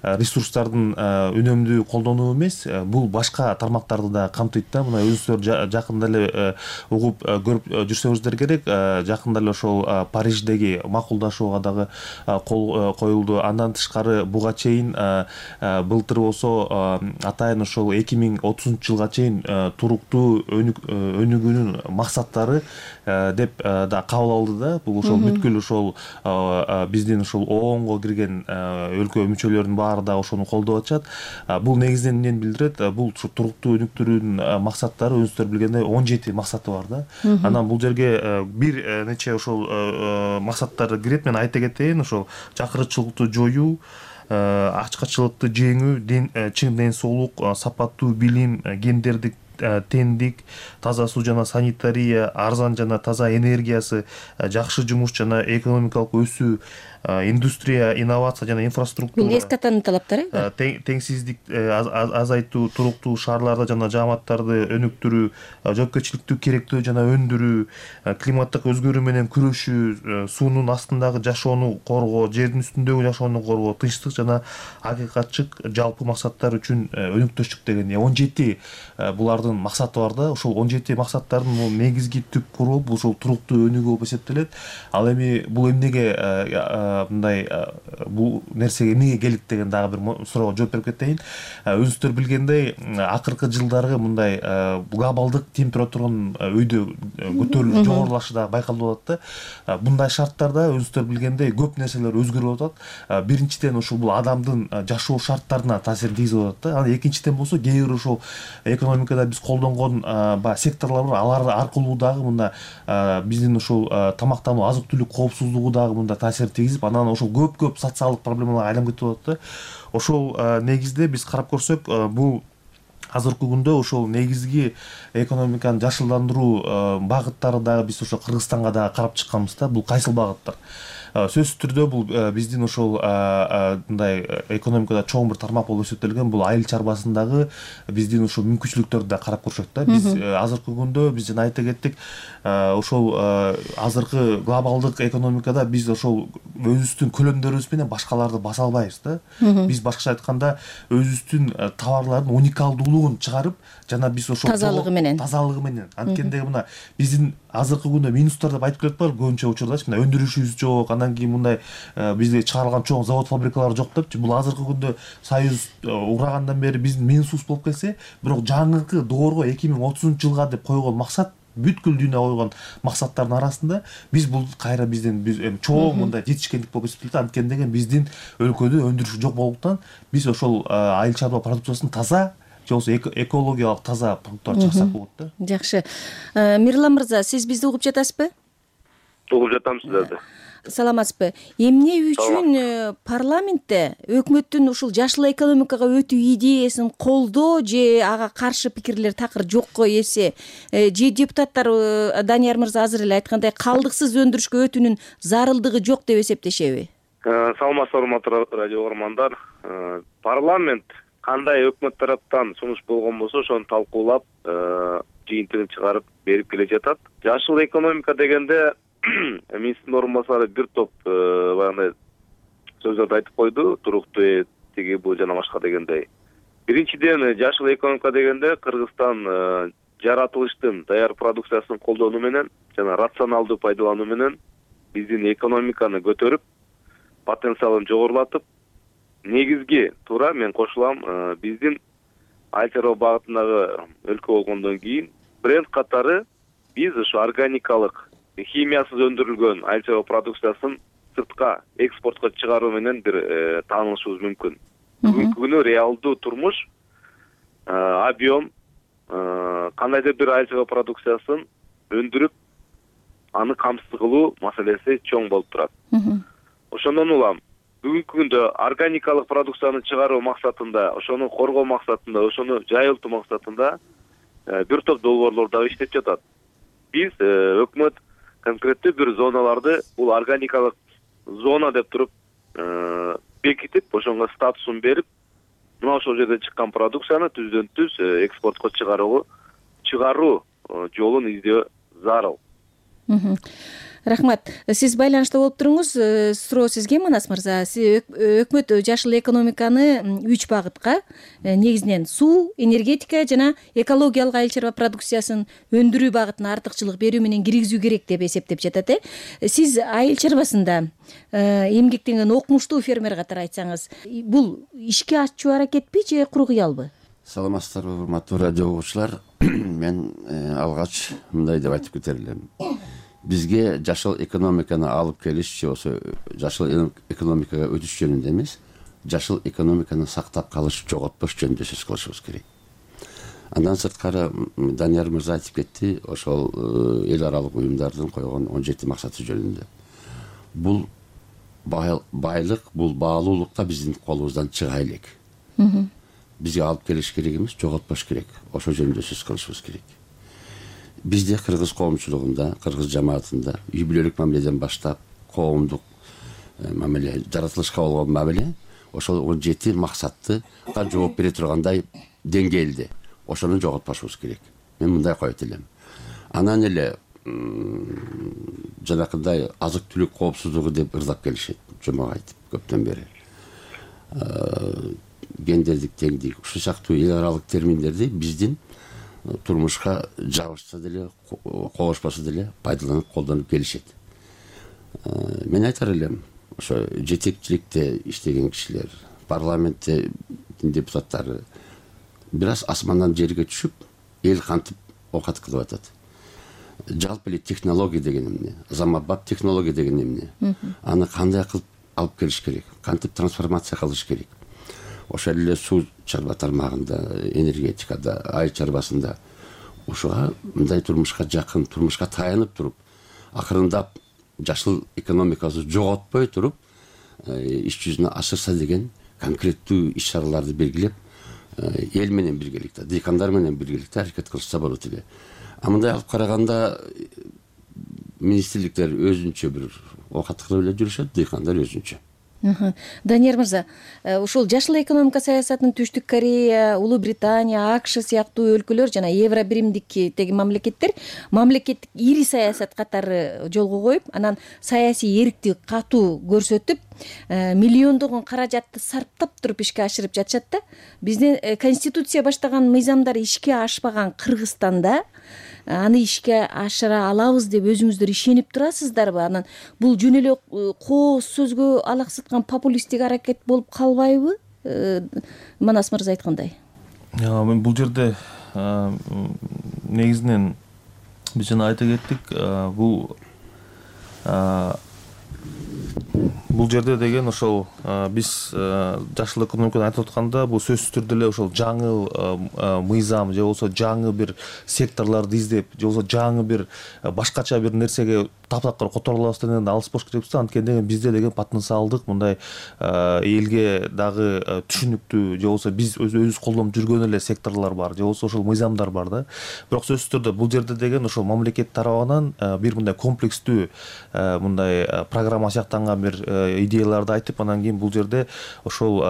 ресурстардын үнөмдүү колдонуу эмес, бул башка тармактарды да камтыйт да. Мына өзүңүздөр жакында эле угуп көрүп жүрсөңүздөр керек, жакында эле ошол Париждеги макулдашууга дагы кол коюлду. Андан тышкары буга чейин былтыр болсо атайын ошол 2030-жылга чейин туруктуу өнүгүүнүн максаттары деп да кабыл алды да. Бул ошол бүткүл ошол биздин ошол ООНго кирген өлкө мүчөлөрүнүн баары да ошону колдоп атышат. Бул негизинен эмнени билдирет? Бул туруктуу өнүктүрүүнүн максаттары өзүңүздөр билгендей 17 максаты бар да. Анан бул жерге бир нече ошол максаттар кирет. Мен айта кетейин, ошол жакырчылыкты жоюу, ачкачылыкты жеңүү, чың ден соолук, сапаттуу билим, гендердик теңдик, таза суу жана санитария, арзан жана таза энергиясы, жакшы жумуш жана экономикалык өсүү, индустрия, инновация жана инфраструктура. Бул эски атанын талаптары? Теңсиздик азайтуу, туруктуу шаарларды жана жааматтарды өнүктүрүү, жоопкерчиликтүү керектөө жана өндүрүү, климаттык өзгөрүү менен күрөшүү, суунун астындагы жашоону коргоо, жердин үстүндөгү жашоону коргоо, тынчтык жана акыйкатчык жалпы максаттар үчүн өнүктөчтүк деген 17 булардын максаты бар да. Ошол 17 максаттардын негизги түп куру бул ошол туруктуу өнүгүү болуп эсептелет. Ал эми бул эмнеге мындай бул нерсеге эмнеге келет деген дагы бир суроого жооп берип кетейин. Өзүңүздөр билгендей, акыркы жылдары мындай глобалдык температуранын өйдө көтөрүлүп жогорулашы дагы байкалып атат да. Мындай шарттарда өзүңүздөр билгендей көп нерселер өзгөрүп атат. Биринчиден ошол бул адамдын жашоо шарттарына таасирин тийгизип атат да. Анан экинчиден болсо кээ бир ошол экономикада биз колдонгон секторлор бар. Алар аркылуу дагы мында биздин ошол тамактануу, азык-түлүк коопсуздугу дагы мында таасир тийгизип, анан ошол көп социалдык проблемаларга айланып кетип атат да. Ошол негизде биз карап көрсөк, бул азыркы күндө ошол негизги экономиканы жашылдандыруу багыттары дагы биз ошо Кыргызстанга дагы карап чыкканбыз да. Бул кайсыл багыттар? Сөзсүз түрдө бул биздин ошол мындай экономикада чоң бир тармак болуп эсептелген бул айыл чарбасындагы биздин ошол мүмкүнчүлүктөрдү да карап көрсөк да. Биз азыркы күндө биз жана айта кеттик, ошол азыркы глобалдык экономикада биз ошол өзүбүздүн көлөмдөрүбүз менен башкаларды баса албайбыз да. Биз башкача айтканда өзүбүздүн товарлардын уникалдуулугун чыгарып, жана биз ошол тазалыгы менен анткенде мына биздин азыркы күндө минустар деп айтып келет бар көбүнчө учурдачы. Мына өндүрүшүбүз жок, андан кийин мындай бизде чыгарылган чоң завод фабрикалар жок депчи. Бул азыркы күндө Союз урагандан бери биздин минусубуз болуп келсе, бирок жаңыркы доорго 2030-жылга деп койгон максат, бүткүл дүйнө койгон максаттардын арасында биз бул кайра биздин чоң мындай жетишкендик болуп эсептелет. Анткени деген биздин өлкөдө өндүрүш жок болгондуктан биз ошол айыл чарба продукциясын таза же болбосо экологиялык таза продукттар чыксак болот да. Жакшы. Мирлан мырза, сиз бизди угуп жатасызбы? Угуп жатам сиздерди. Саламатсызбы? Эмне үчүн парламентте өкмөттүн ушул жашыл экономикага өтүү идеясын колдоо же ага каршы пикирлер такыр жокко эсе, же депутаттар Данияр мырза азыр эле айткандай калдыксыз өндүрүшкө өтүүнүн зарылдыгы жок деп эсептешеби? Саламатсызбы, урматтуу радио угармандар. Парламент кандай өкмөт тараптан сунуш болгон болсо ошону талкуулап, жыйынтыгын чыгарып берип келе жатат. Жашыл экономика дегенде министрдин орун басары бир топ баягындай сөздөрдү айтып койду, туруктуу тиги бул жана башка дегендей. Биринчиден, жашыл экономика дегенде Кыргызстан жаратылыштын даяр продукциясын колдонуу менен жана рационалдуу пайдалануу менен биздин экономиканы көтөрүп, потенциалын жогорулатып, негизги туура мен кошулам, биздин айыл чарба багытындагы өлкө болгондон кийин бренд катары биз ушу органикалык, химиясыз өндүрүлгөн айыл чарба продукциясын сыртка экспортко чыгаруу менен бир таанылышыбыз мүмкүн. Бүгүнкү күнү реалдуу турмуш, объем, кандайдыр бир айыл чарба продукциясын өндүрүп, аны камсыз кылуу маселеси чоң болуп турат. Ошондон улам бүгүнкү күндө органикалык продукцияны чыгаруу максатында, ошону коргоо максатында, ошону жайылтуу максатында бир топ долбоорлор дагы иштеп жатат. Биз өкмөт конкреттүү бир зоналарды бул органикалык зона деп туруп бекитип, ошонго статусун берип, мына ошол жерден чыккан продукцияны түздөн түз экспортко чыгаруу жолун издөө зарыл. Рахмат. Сиз байланышта болуп туруңуз. Суроо сизге, Манас мырза. Өкмөт жашыл экономиканы 3 багытка, негизинен суу, энергетика жана экологиялык айыл чарба продукциясын өндүрүү багытына артыкчылык берүү менен киргизүү керек деп эсептеп жатат. Сиз айыл чарбасында эмгектенген окумуштуу фермер катары айтсаңыз, бул ишке ашчу аракетпи же куру кыялбы? Саламатсыздарбы, урматтуу радио угуучулар. Мен алгач мындай деп айтып кетер элем. Бизге жашыл экономиканы алып келиш же болсо жашыл экономикага өтүш жөнүндө эмес, жашыл экономиканы сактап калыш, жоготпош жөнүндө сөз кылышыбыз керек. Андан сырткары Данияр мырза айтып кетти, ошол эл аралык уюмдардын койгон 17 максаты жөнүндө. Бул байлык, бул баалуулукта биздин колубуздан чыга элек. Бизге алып келиш керек эмес, жоготпош керек. Ошол жөнүндө сөз кылышыбыз керек. Бизде кыргыз коомчулугунда, кыргыз жамаатында үй бүлөлүк мамиледен баштап коомдук мамиле, жаратылышка болгон мамиле ошол 17 максатыга жооп бере тургандай деңгээлде. Ошону жоготпашыбыз керек. Мен мындай коет элем. Анан эле жанакындай азык-түлүк коопсуздугу деп ырдап келишет, жомок айтып көптөн бери. Гендердик теңдик, ушул сыяктуу эл аралык терминдерди биздин турмушка жабышса деле, кобошпаса деле пайдаланып колдонуп келишет. Мен айтар элем, ошо жетекчиликте иштеген кишилер, парламентте депутаттары бир аз асмандан жерге түшүп, эл кантип оокат кылып атат. Жалпы эле технология деген эмне, заманбап технология деген эмне, аны кандай кылып алып келиш керек, кантип трансформация кылыш керек. Ошол эле суу чарба тармагында, энергетикада, айыл чарбасында ушуга мындай турмушка жакын, турмушка таянып туруп, акырындап жашыл экономикасы жоготпой туруп, иш жүзүнө ашырса деген конкреттүү иш-чараларды белгилеп, эл менен биргеликте, дыйкандар менен биргеликте аракет кылышса болот эле. А мындай алып караганда министрликтер өзүнчө бир оокат кылып эле жүрүшөт, дыйкандар өзүнчө. Данияр мырза, ушул жашыл экономика саясатын Түштүк Корея, Улуу Британия, АКШ сыяктуу өлкөлөр жана евро биримдиктеги мамлекеттер мамлекеттик ири саясат катары жолго коюп, анан саясий эрктик катуу көрсөтүп, миллиондогон каражатты сарптап туруп ишке ашырып жатышат да. Биздин конституция баштаган мыйзамдар ишке ашпаган Кыргызстанда аны ишке ашыра алабыз деп өзүңүздөр ишенип турасыздарбы? Анан бул жөн эле кооз сөзгө алаксыткан популисттик аракет болуп калбайбы? Манас мырза айткандай. Мен бул жерде негизинен биз жана айта кеттик, бул жерде деген ошол биз жашыл экономиканы айтып атканда бул сөзсүз түрдө эле ошол жаңы мыйзам же болбосо жаңы бир секторлорду издеп, же болбосо жаңы бир башкача бир нерсеге таптакыр которо алабыздан алыс болуш керекпиз. Анткени деген бизде деген потенциалдык мындай элге дагы түшүнүктүү, же болбосо биз өзүбүз колдонуп жүргөн эле секторлор бар, же болбосо ошол мыйзамдар бар да. Бирок сөзсүз түрдө бул жерде деген ошол мамлекет тарабынан бир мындай комплекстүү мындай программа сыяктанган бир идеяларды айтып, анан кийин бул жерде ошол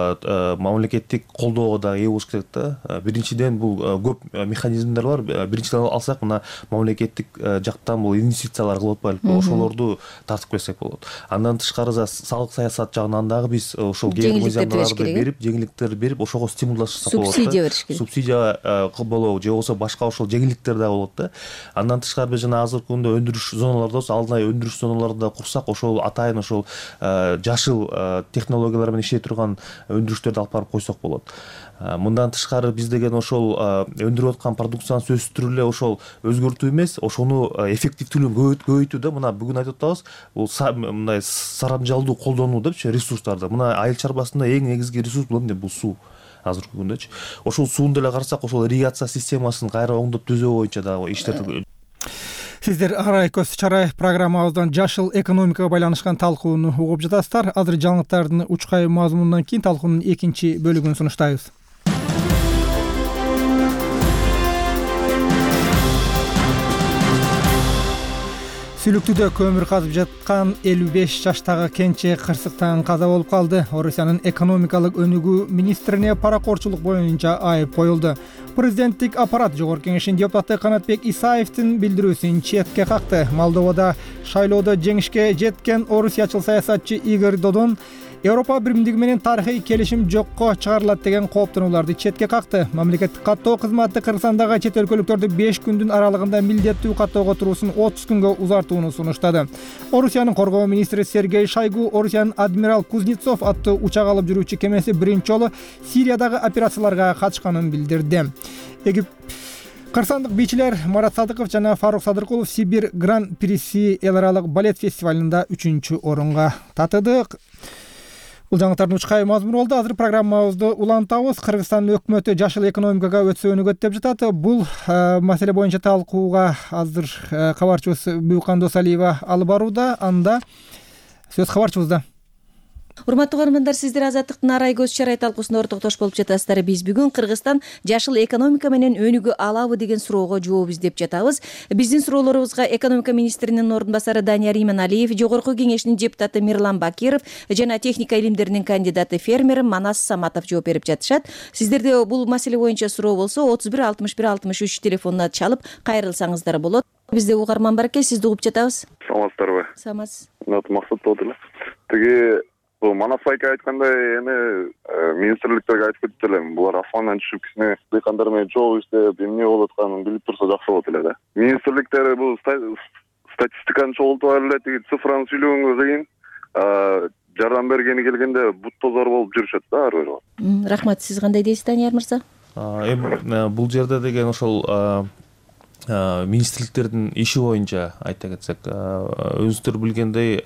мамлекеттик колдоого дагы ээ болуш керек да. Биринчиден бул көп механизмдер бар. Биринчиден алсак, мына мамлекеттик жактан бул инвестициялар кылып атпайлыкпы, ошолорду тартып келсек болот. Андан тышкары салык саясат жагынан дагы биз ошол мыйзамдарды берип, жеңилдиктерди берип, ошого стимулдаштырсак болот. Субсидия бериш керек. Субсидия болобу, же болбосо башка ошол жеңилдиктер дагы болот да. Андан тышкары биз жана азыркы күндө өндүрүш зоналарда болсо, алдынай өндүрүш зоналарды да курсак, ошол атайын ошол жашыл технологиялар менен иштей турган өндүрүштөрдү алып барып койсок болот. Мындан тышкары биз деген ошол өндүрүп аткан продукцияны сөзсүз түрдө эле ошол өзгөртүү эмес, ошону эффективдүүлүгүн көбөйтүү да. Мына бүгүн айтып атабыз, бул мындай сарамжалдуу колдонуу депчи ресурстарды. Мына айыл чарбасында эң негизги ресурс бул эмне? Бул суу. Азыркы күндөчү ошол сууну деле карасак, ошол ирригация системасын кайра оңдоп түзөө боюнча дагы иштер. Сиздер Арай көз чарай программабыздан жашыл экономикага байланышкан талкууну угуп жатасыздар. Азыр жаңылыктардын учкай мазмунунан кийин талкуунун экинчи бөлүгүн сунуштайбыз. Сүлүктүдө көмүр казып жаткан 55 жаштагы кенче кырсыктан каза болуп калды. Орусиянын экономикалык өнүгүү министрине паракорчулук боюнча айып коюлду. Президенттик аппарат Жогорку Кеңештин депутаты Канатбек Исаевдин билдирүүсүн четке какты. Молдовада шайлоодо жеңишке жеткен орусиячыл саясатчы Игорь Додон Европа биримдиги менен тарыхый келишим жокко чыгарылат деген кооптонууларды четке какты. Мамлекеттик каттоо кызматы Кыргызстандагы чет өлкөлүктөрдү 5 күндүн аралыгында милдеттүү каттоого туруусун 30 күнгө узартууну сунуштады. Орусиянын коргоо министри Сергей Шойгу Орусиянын адмирал Кузнецов аттуу учак алып жүрүүчү кемеси биринчи жолу Сириядагы операцияларга катышканын билдирди. Кыргызстандык бийчилер Марат Садыков жана Фарук Садыркулов Сибирь Гран-приси эл аралык балет фестивалында 3-орунга татыды. Бул жаңылыктардын учкай мазмуну болду. Азыр программабызды улантабыз. Кыргызстандын өкмөтү жашыл экономикага өтсө өнүгөт деп жатат. Бул маселе боюнча талкууга азыр кабарчыбыз Бүйкан Досалиева алып барууда. Анда сөз кабарчыбызда. Урматтуу көрөрмандар, сиздер Азаттыктын Арай көз чарай талкуусуна ортоктош болуп жатасыздар. Биз бүгүн Кыргызстан жашыл экономика менен өнүгө алабы деген суроого жооп издеп жатабыз. Биздин суроолорубузга экономика министринин ордун басары Данияр Иманалиев, Жогорку Кеңештин депутаты Мирлан Бакиров жана техника илимдеринин кандидаты фермер Манас Саматов жооп берип жатышат. Сиздерде бул маселе боюнча суроо болсо 31 61 63 телефонуна чалып кайрылсаңыздар болот. Бизде угарман бар экен, сизди угуп жатабыз. Саламатсыздарбы? Самас. Максат болду эле. Тиги бул Манас айка айткандай эми министрликтерге айтып кетип элем. Булар асмандан түшүп кичине дыйкандар менен жол издеп, эмне болуп атканын билип турса жакшы болот эле да. Министрликтер бул статистиканы чогултуп эле тиги цифраны сүйлөгөнгө кыйын. Жардам бергени келгенде буттозор болуп жүрүшөт да ар бир. Рахмат. Сиз кандай дейсиз, Данияр мырза? Эми бул жерде деген ошол министрликтердин иши боюнча айта кетсек, өзүңүздөр билгендей,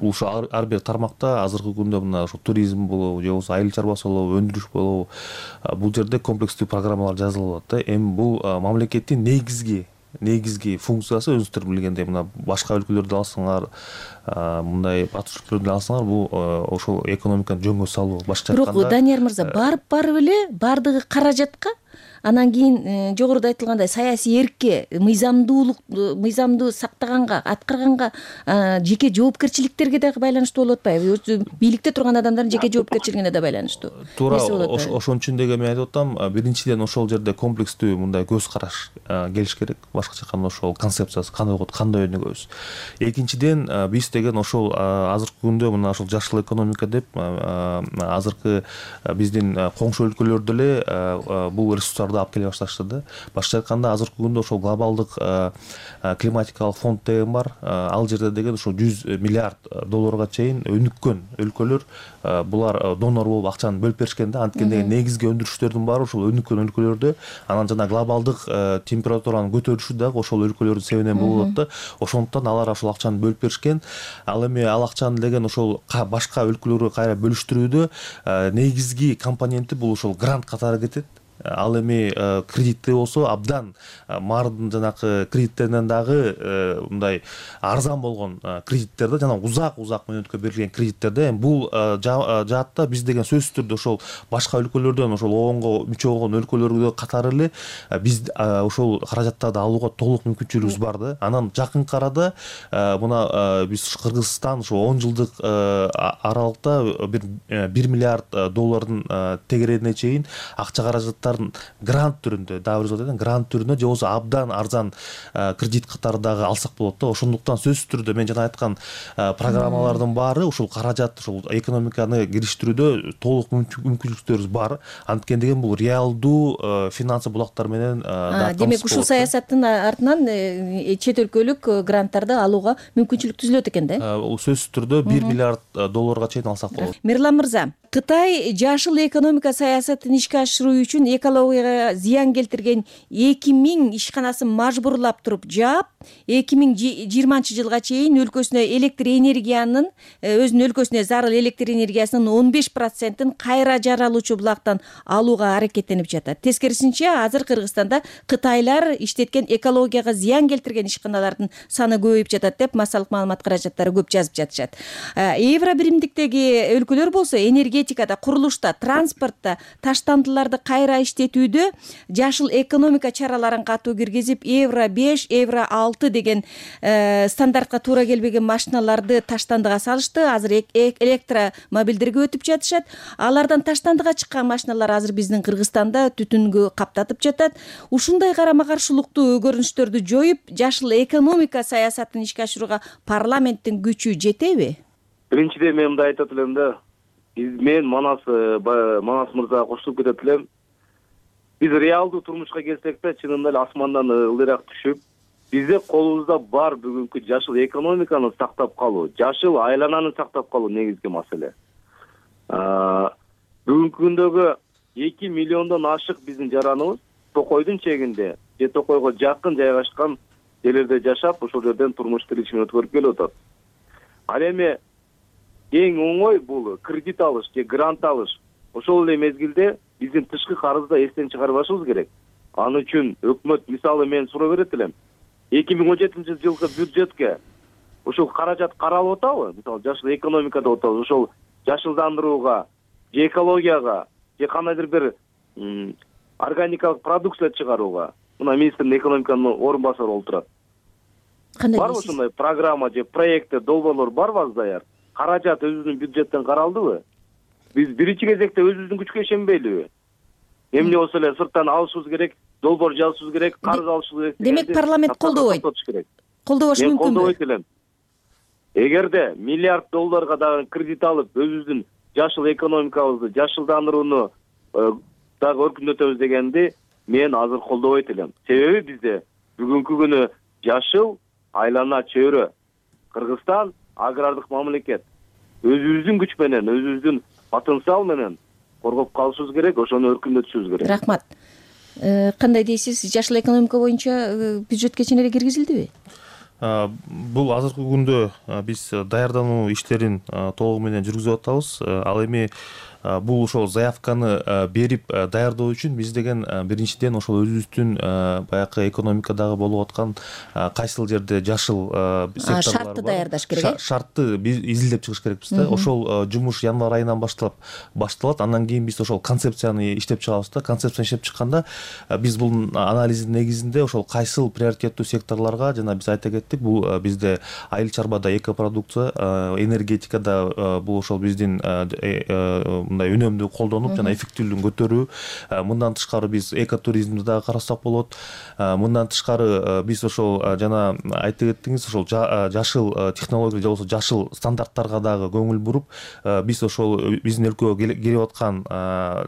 ушу ар бир тармакта азыркы күндө мына ошо туризм болобу, же болбосо айыл чарбасы болобу, өндүрүш болобу, бул жерде комплекстүү программалар жазылып атат да. Эми бул мамлекеттин негизги функциясы, өзүңүздөр билгендей, мына башка өлкөлөрдү алсаңар, мындай батыш өлкөлөрдү алсаңар, бул ошол экономиканы жөнгө салуу. Башка айтканда, бирок Данияр мырза, барып эле бардыгы каражатка, анан кийин жогоруда айтылгандай саясий эркке, мыйзамдуу сактаганга, аткарганга, жеке жоопкерчиликтерге дагы байланыштуу болуп атпайбы? Бийликте турган адамдардын жеке жоопкерчилигине да байланыштуу. Туура ошон үчүн деген мен айтып атам, биринчиден ошол жерде комплекстүү мындай көз караш келиш керек. Башкача айтканда ошол концепциясы кандай болот, кандай өнүгөбүз. Экинчиден биз деген ошол азыркы күндө мына ошол жашыл экономика деп азыркы биздин коңшу өлкөлөрдө эле бул ресурстарды алып келе башташты да. Башкача айтканда азыркы күндө ошол глобалдык климатикалык фонд деген бар. Ал жерде деген ошол 100 миллиард долларга чейин өнүккөн өлкөлөр булар донор болуп акчаны бөлүп беришкен да. Анткени негизги өндүрүштөрдүн баары ошол өнүккөн өлкөлөрдө. Анан жана глобалдык температуранын көтөрүлүшү дагы ошол өлкөлөрдүн себебинен болуп атат да. Ошондуктан алар ошол акчаны бөлүп беришкен. Ал эми ал акчаны деген ошол башка өлкөлөргө кайра бөлүштүрүүдө негизги компоненти бул ошол грант катары кетет. Ал эми кредитте болсо абдан мардын жанакы кредиттеринен дагы мындай арзан болгон кредиттер да, жана узак мөөнөткө берилген кредиттер да. Эми бул жаатта биз деген сөзсүз түрдө ошол башка өлкөлөрдөн ошол ООНго мүчө болгон өлкөлөргө катары эле биз ошол каражаттарды алууга толук мүмкүнчүлүгүбүз бар да. Анан жакынкы арада мына биз Кыргызстан ошо 10 жылдык аралыкта бир 1 миллиард доллардын тегерерине чейин акча каражаттарын грант түрүндө, дагы бир грант түрүндө же болбосо абдан арзан кредит катары дагы алсак болот да. Ошондуктан сөзсүз түрдө мен жана айткан программалардын баары ушул каражат, ушул экономиканы кириштирүүдө толук мүмкүнчүлүктөрүбүз бар. Анткени деген бул реалдуу финансы булактар менен демек ушул саясаттын артынан чет өлкөлүк гранттарды алууга мүмкүнчүлүк түзүлөт экен да. Сөзсүз түрдө 1 миллиард долларга чейин алсак болот. Мирлан мырза, Кытай жашыл экономика саясатын ишке ашыруу үчүн экологияга зыян келтирген 2000 ишканасын мажбурлап туруп жаап, 2020-жылга чейин өлкөсүнө электр энергиянын өзүнүн өлкөсүнө зарыл электр энергиясынын 15%-ын кайра жаралуучу булактан алууга аракеттенип жатат. Тескерисинче, азыр Кыргызстанда Кытайлар иштеткен экологияга зыян келтирген ишканалардын саны көбөйүп жатат деп массалык маалымат каражаттары көп жазып жатышат. Евро биримдиктеги өлкөлөр болсо энергетикада, курулушта, транспортто таштандыларды кайра иштетүүдө жашыл экономика чараларын катуу киргизип, евро 5, евро 6 деген стандартка туура келбеген машиналарды таштандыга салышты. Азыр электромобилдерге өтүп жатышат. Алардан таштандыга чыккан машиналар азыр биздин Кыргызстанда түтүнгө каптатып жатат. Ушундай карама-каршылыктуу көрүнүштөрдү жоюп, жашыл экономика саясатын ишке ашырууга парламенттин күчү жетеби? Биринчиден мен мындай айтат элем да, мен Манас мырзага кошулуп кетет элем. Биз реалдуу турмушка келсек да, чынында эле асмандан ылдыйраак түшүп, бизде колубузда бар бүгүнкү жашыл экономиканы сактап калуу, жашыл айлананы сактап калуу негизги маселе. Бүгүнкү күндөгү 2 миллиондон ашык биздин жараныбыз Токойдун чегинде же Токойго жакын жайгашкан жерлерде жашап, ошол жерден турмуш тиричилигин өткөрүп келип атат. Ал эми эң оңой бул кредит алыш же грант алыш. Ошол эле мезгилде биздин тышкы карызды эстен чыгарбашыбыз керек. Аны үчүн өкмөт, мисалы мен суроо берет элем, 2017-жылкы бюджетке ошол каражат каралып атабы? Мисалы жашыл экономикада атабы, ошол жашылдандырууга, же экологияга, же кандайдыр бир органикалык продукция чыгарууга. Мына министрдин экономиканын орун басары болуп турат. Барбы ошондой программа же проекттер, долбоорлор барбы азыр? Каражат өзүбүздүн бюджеттен каралдыбы? Биз биринчи кезекте өзүбүздүн күчкө ишенбейлиби? Эмне болсо эле сырттан алышыбыз керек, долбоор жазышыбыз керек, карыз алышыбыз керек. Демек парламент колдобойт. Колдобош мүмкүнбү? Мен колдобойт элем. Эгерде миллиард долларга дагы кредит алып, өзүбүздүн жашыл экономикабызды, жашылдандырууну дагы өркүндөтөбүз дегенди мен азыр колдобойт элем. Себеби бизде бүгүнкү күнү жашыл айлана чөйрө. Кыргызстан агрардык мамлекет. Өзүбүздүн күч менен, өзүбүздүн потенциал менен коргоп калышыбыз керек, ошону өркүндөтүшүбүз керек. Рахмат. Кандай дейсиз? Жашыл экономика боюнча бюджетке чейин эле киргизилдиби? Бул азыркы күндө биз даярдануу иштерин толугу менен жүргүзүп атабыз. Ал эми бул ошол заявканы берип даярдоо үчүн биз деген биринчиден ошол өзүбүздүн баягы экономикадагы болуп аткан кайсыл жерде жашыл секторлор шартты даярдаш керек. Шартты биз изилдеп чыгыш керекпиз да. Ошол жумуш январь айынан башталат. Андан кийин биз ошол концепцияны иштеп чыгабыз да. Концепцияны иштеп чыкканда биз бул анализдин негизинде ошол кайсыл приоритеттүү секторлорго, жана биз айта кеттик, бул бизде айыл чарбада экопродукция, энергетикада бул ошол биздин мындай үнөмдү колдонуп жана эффективдүүлүгүн көтөрүү. Мындан тышкары биз экотуризмди дагы карасак болот. Мындан тышкары биз ошол жана айтып кеттиңиз, ошол жашыл технология же болбосо жашыл стандарттарга дагы көңүл буруп, биз ошол биздин өлкөгө келип аткан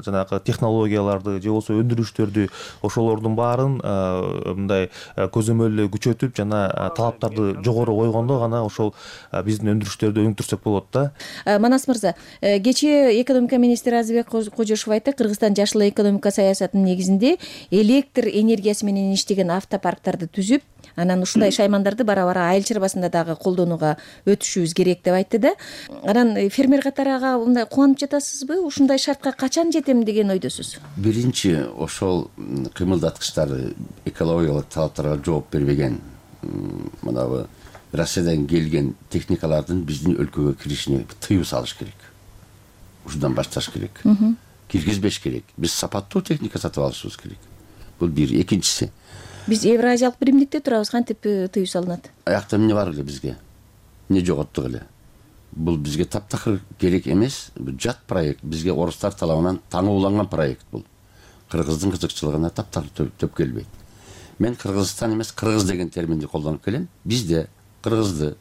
жанагы технологияларды же болбосо өндүрүштөрдү, ошолордун баарын мындай көзөмөлдө күчөтүп жана талаптарды жогору койгондо гана ошол биздин өндүрүштөрдү өнүктүрсөк болот да. Манас мырза, кечээ экономика министри Азыбек Кожошов айтты, Кыргызстан жашыл экономика саясатынын негизинде электр энергиясы менен иштеген автопарктарды түзүп, анан ушундай шаймандарды бара-бара айыл чарбасында дагы колдонууга өтүшүбүз керек деп айтты да. Анан фермер катарага мындай кубанып жатасызбы? Ушундай шартка качан жетем деген ойдосуз? Биринчи ошол кыймылдаткычтар экологиялык талаптарга жооп бербеген, мынабы Россиядан келген техникалардын биздин өлкөгө киришине тыюу салыш керек. Ушудан башташ керек. Киргизбеш керек. Биз сапаттуу техника сатып алышыбыз керек. Бул бир. Экинчиси, биз Евразиялык биримдикте турабыз, кантип тыюу салынат? Аякта эмне бар эле бизге? Эмне жоготтук эле? Бул бизге таптакыр керек эмес, жат проект, бизге орустар талабынан таңууланган проект бул. Кыргыздын кызыкчылыгына таптакыр төп келбейт. Мен Кыргызстан эмес, кыргыз деген терминди колдонуп келем. Бизде кыргызды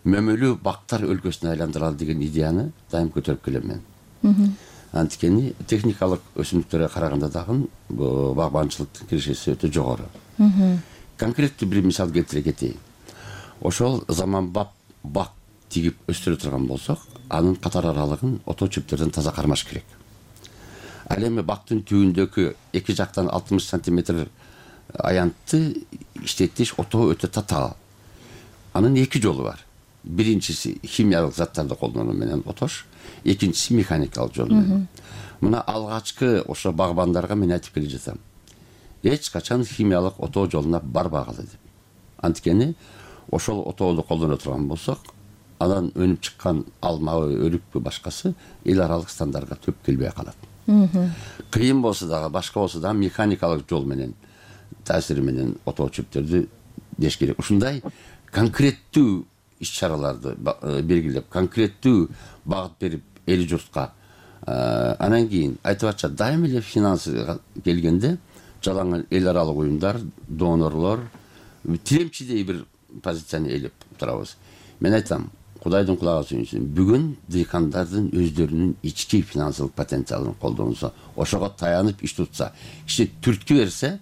мөмөлүү бактар өлкөсүнө айландыралы деген идеяны дайым көтөрүп келем мен. Анткени техникалык өсүмдүктөргө караганда дагы багбанчылыктын киришеси өтө жогору. Конкреттүү бир мисал келтире кетейин. Ошол заманбап бак тигип өстүрө турган болсок, анын катар аралыгын ото чөптөрдөн таза кармаш керек. Ал эми бактын түбүндөгү 2 жактан 60 сантиметр аянтты иштетиш өтө татаал. Анын 2 жолу бар. Биринчиси химиялык заттарды колдонуу менен отош, экинчиси механикалык жол менен. Мына алгачкы ошо багбандарга мен айтып келе жатам. Эч качан химиялык отоо жолуна барбагыла деп. Анткени ошол отоолду колдоно турган болсок, анан өнүп чыккан алмабы, өрүкпү башкасы эл аралык стандартка төп келбей калат. Кыйын болсо дагы, башка болсо дагы механикалык жол менен таасири менен отоо чөптөрдү деш керек. Ушундай конкреттүү иш-чараларды белгилеп, конкреттүү багыт берип эл журтка, анан кийин айтып атышат, дайым эле финансыга келгенде жалаң эл аралык уюмдар, донорлор тиремчидей бир позицияны ээлеп турабыз. Мен айтам, Кудайдын кулагы сүйүнсүн, бүгүн дыйкандардын өздөрүнүн ички финансылык потенциалын колдонсо, ошого таянып иш тутса, киши түрткү берсе,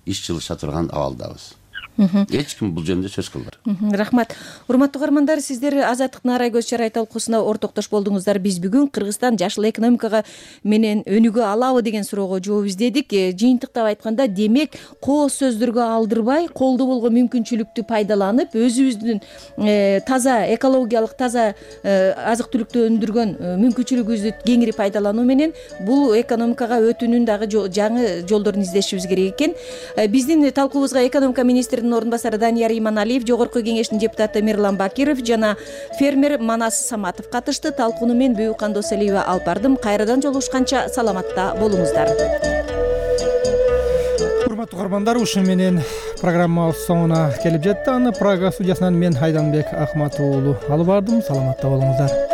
иш жылыша турган абалдабыз. Эч ким бул жөнүндө сөз кылбайт. Рахмат. Урматтуу каармандар, сиздер Азаттыктын Арай көз чарай талкуусуна ортоктош болдуңуздар. Биз бүгүн Кыргызстан жашыл экономикага менен өнүгө алабы деген суроого жооп издедик. Жыйынтыктап айтканда, демек кооз сөздөргө алдырбай, колдо болгон мүмкүнчүлүктү пайдаланып, өзүбүздүн таза экологиялык, таза азык-түлүктү өндүргөн мүмкүнчүлүгүбүздү кеңири пайдалануу менен бул экономикага өтүүнүн дагы жаңы жолдорун издешибиз керек экен. Биздин талкуубузга экономика министринин орун басары Данияр Иманалиев, Жогорку кеңештин депутаты Мирлан Бакиров жана фермер Манас Саматов катышты. Талкууну мен Бүйүкан Доселиева алып бардым. Кайрадан жолугушканча саламатта болуңуздар. Урматтуу каармандар, ушу менен программабыз соңуна келип жетти. Аны Прага студиясынан мен Айданбек Акматов уулу алып бардым. Саламатта болуңуздар.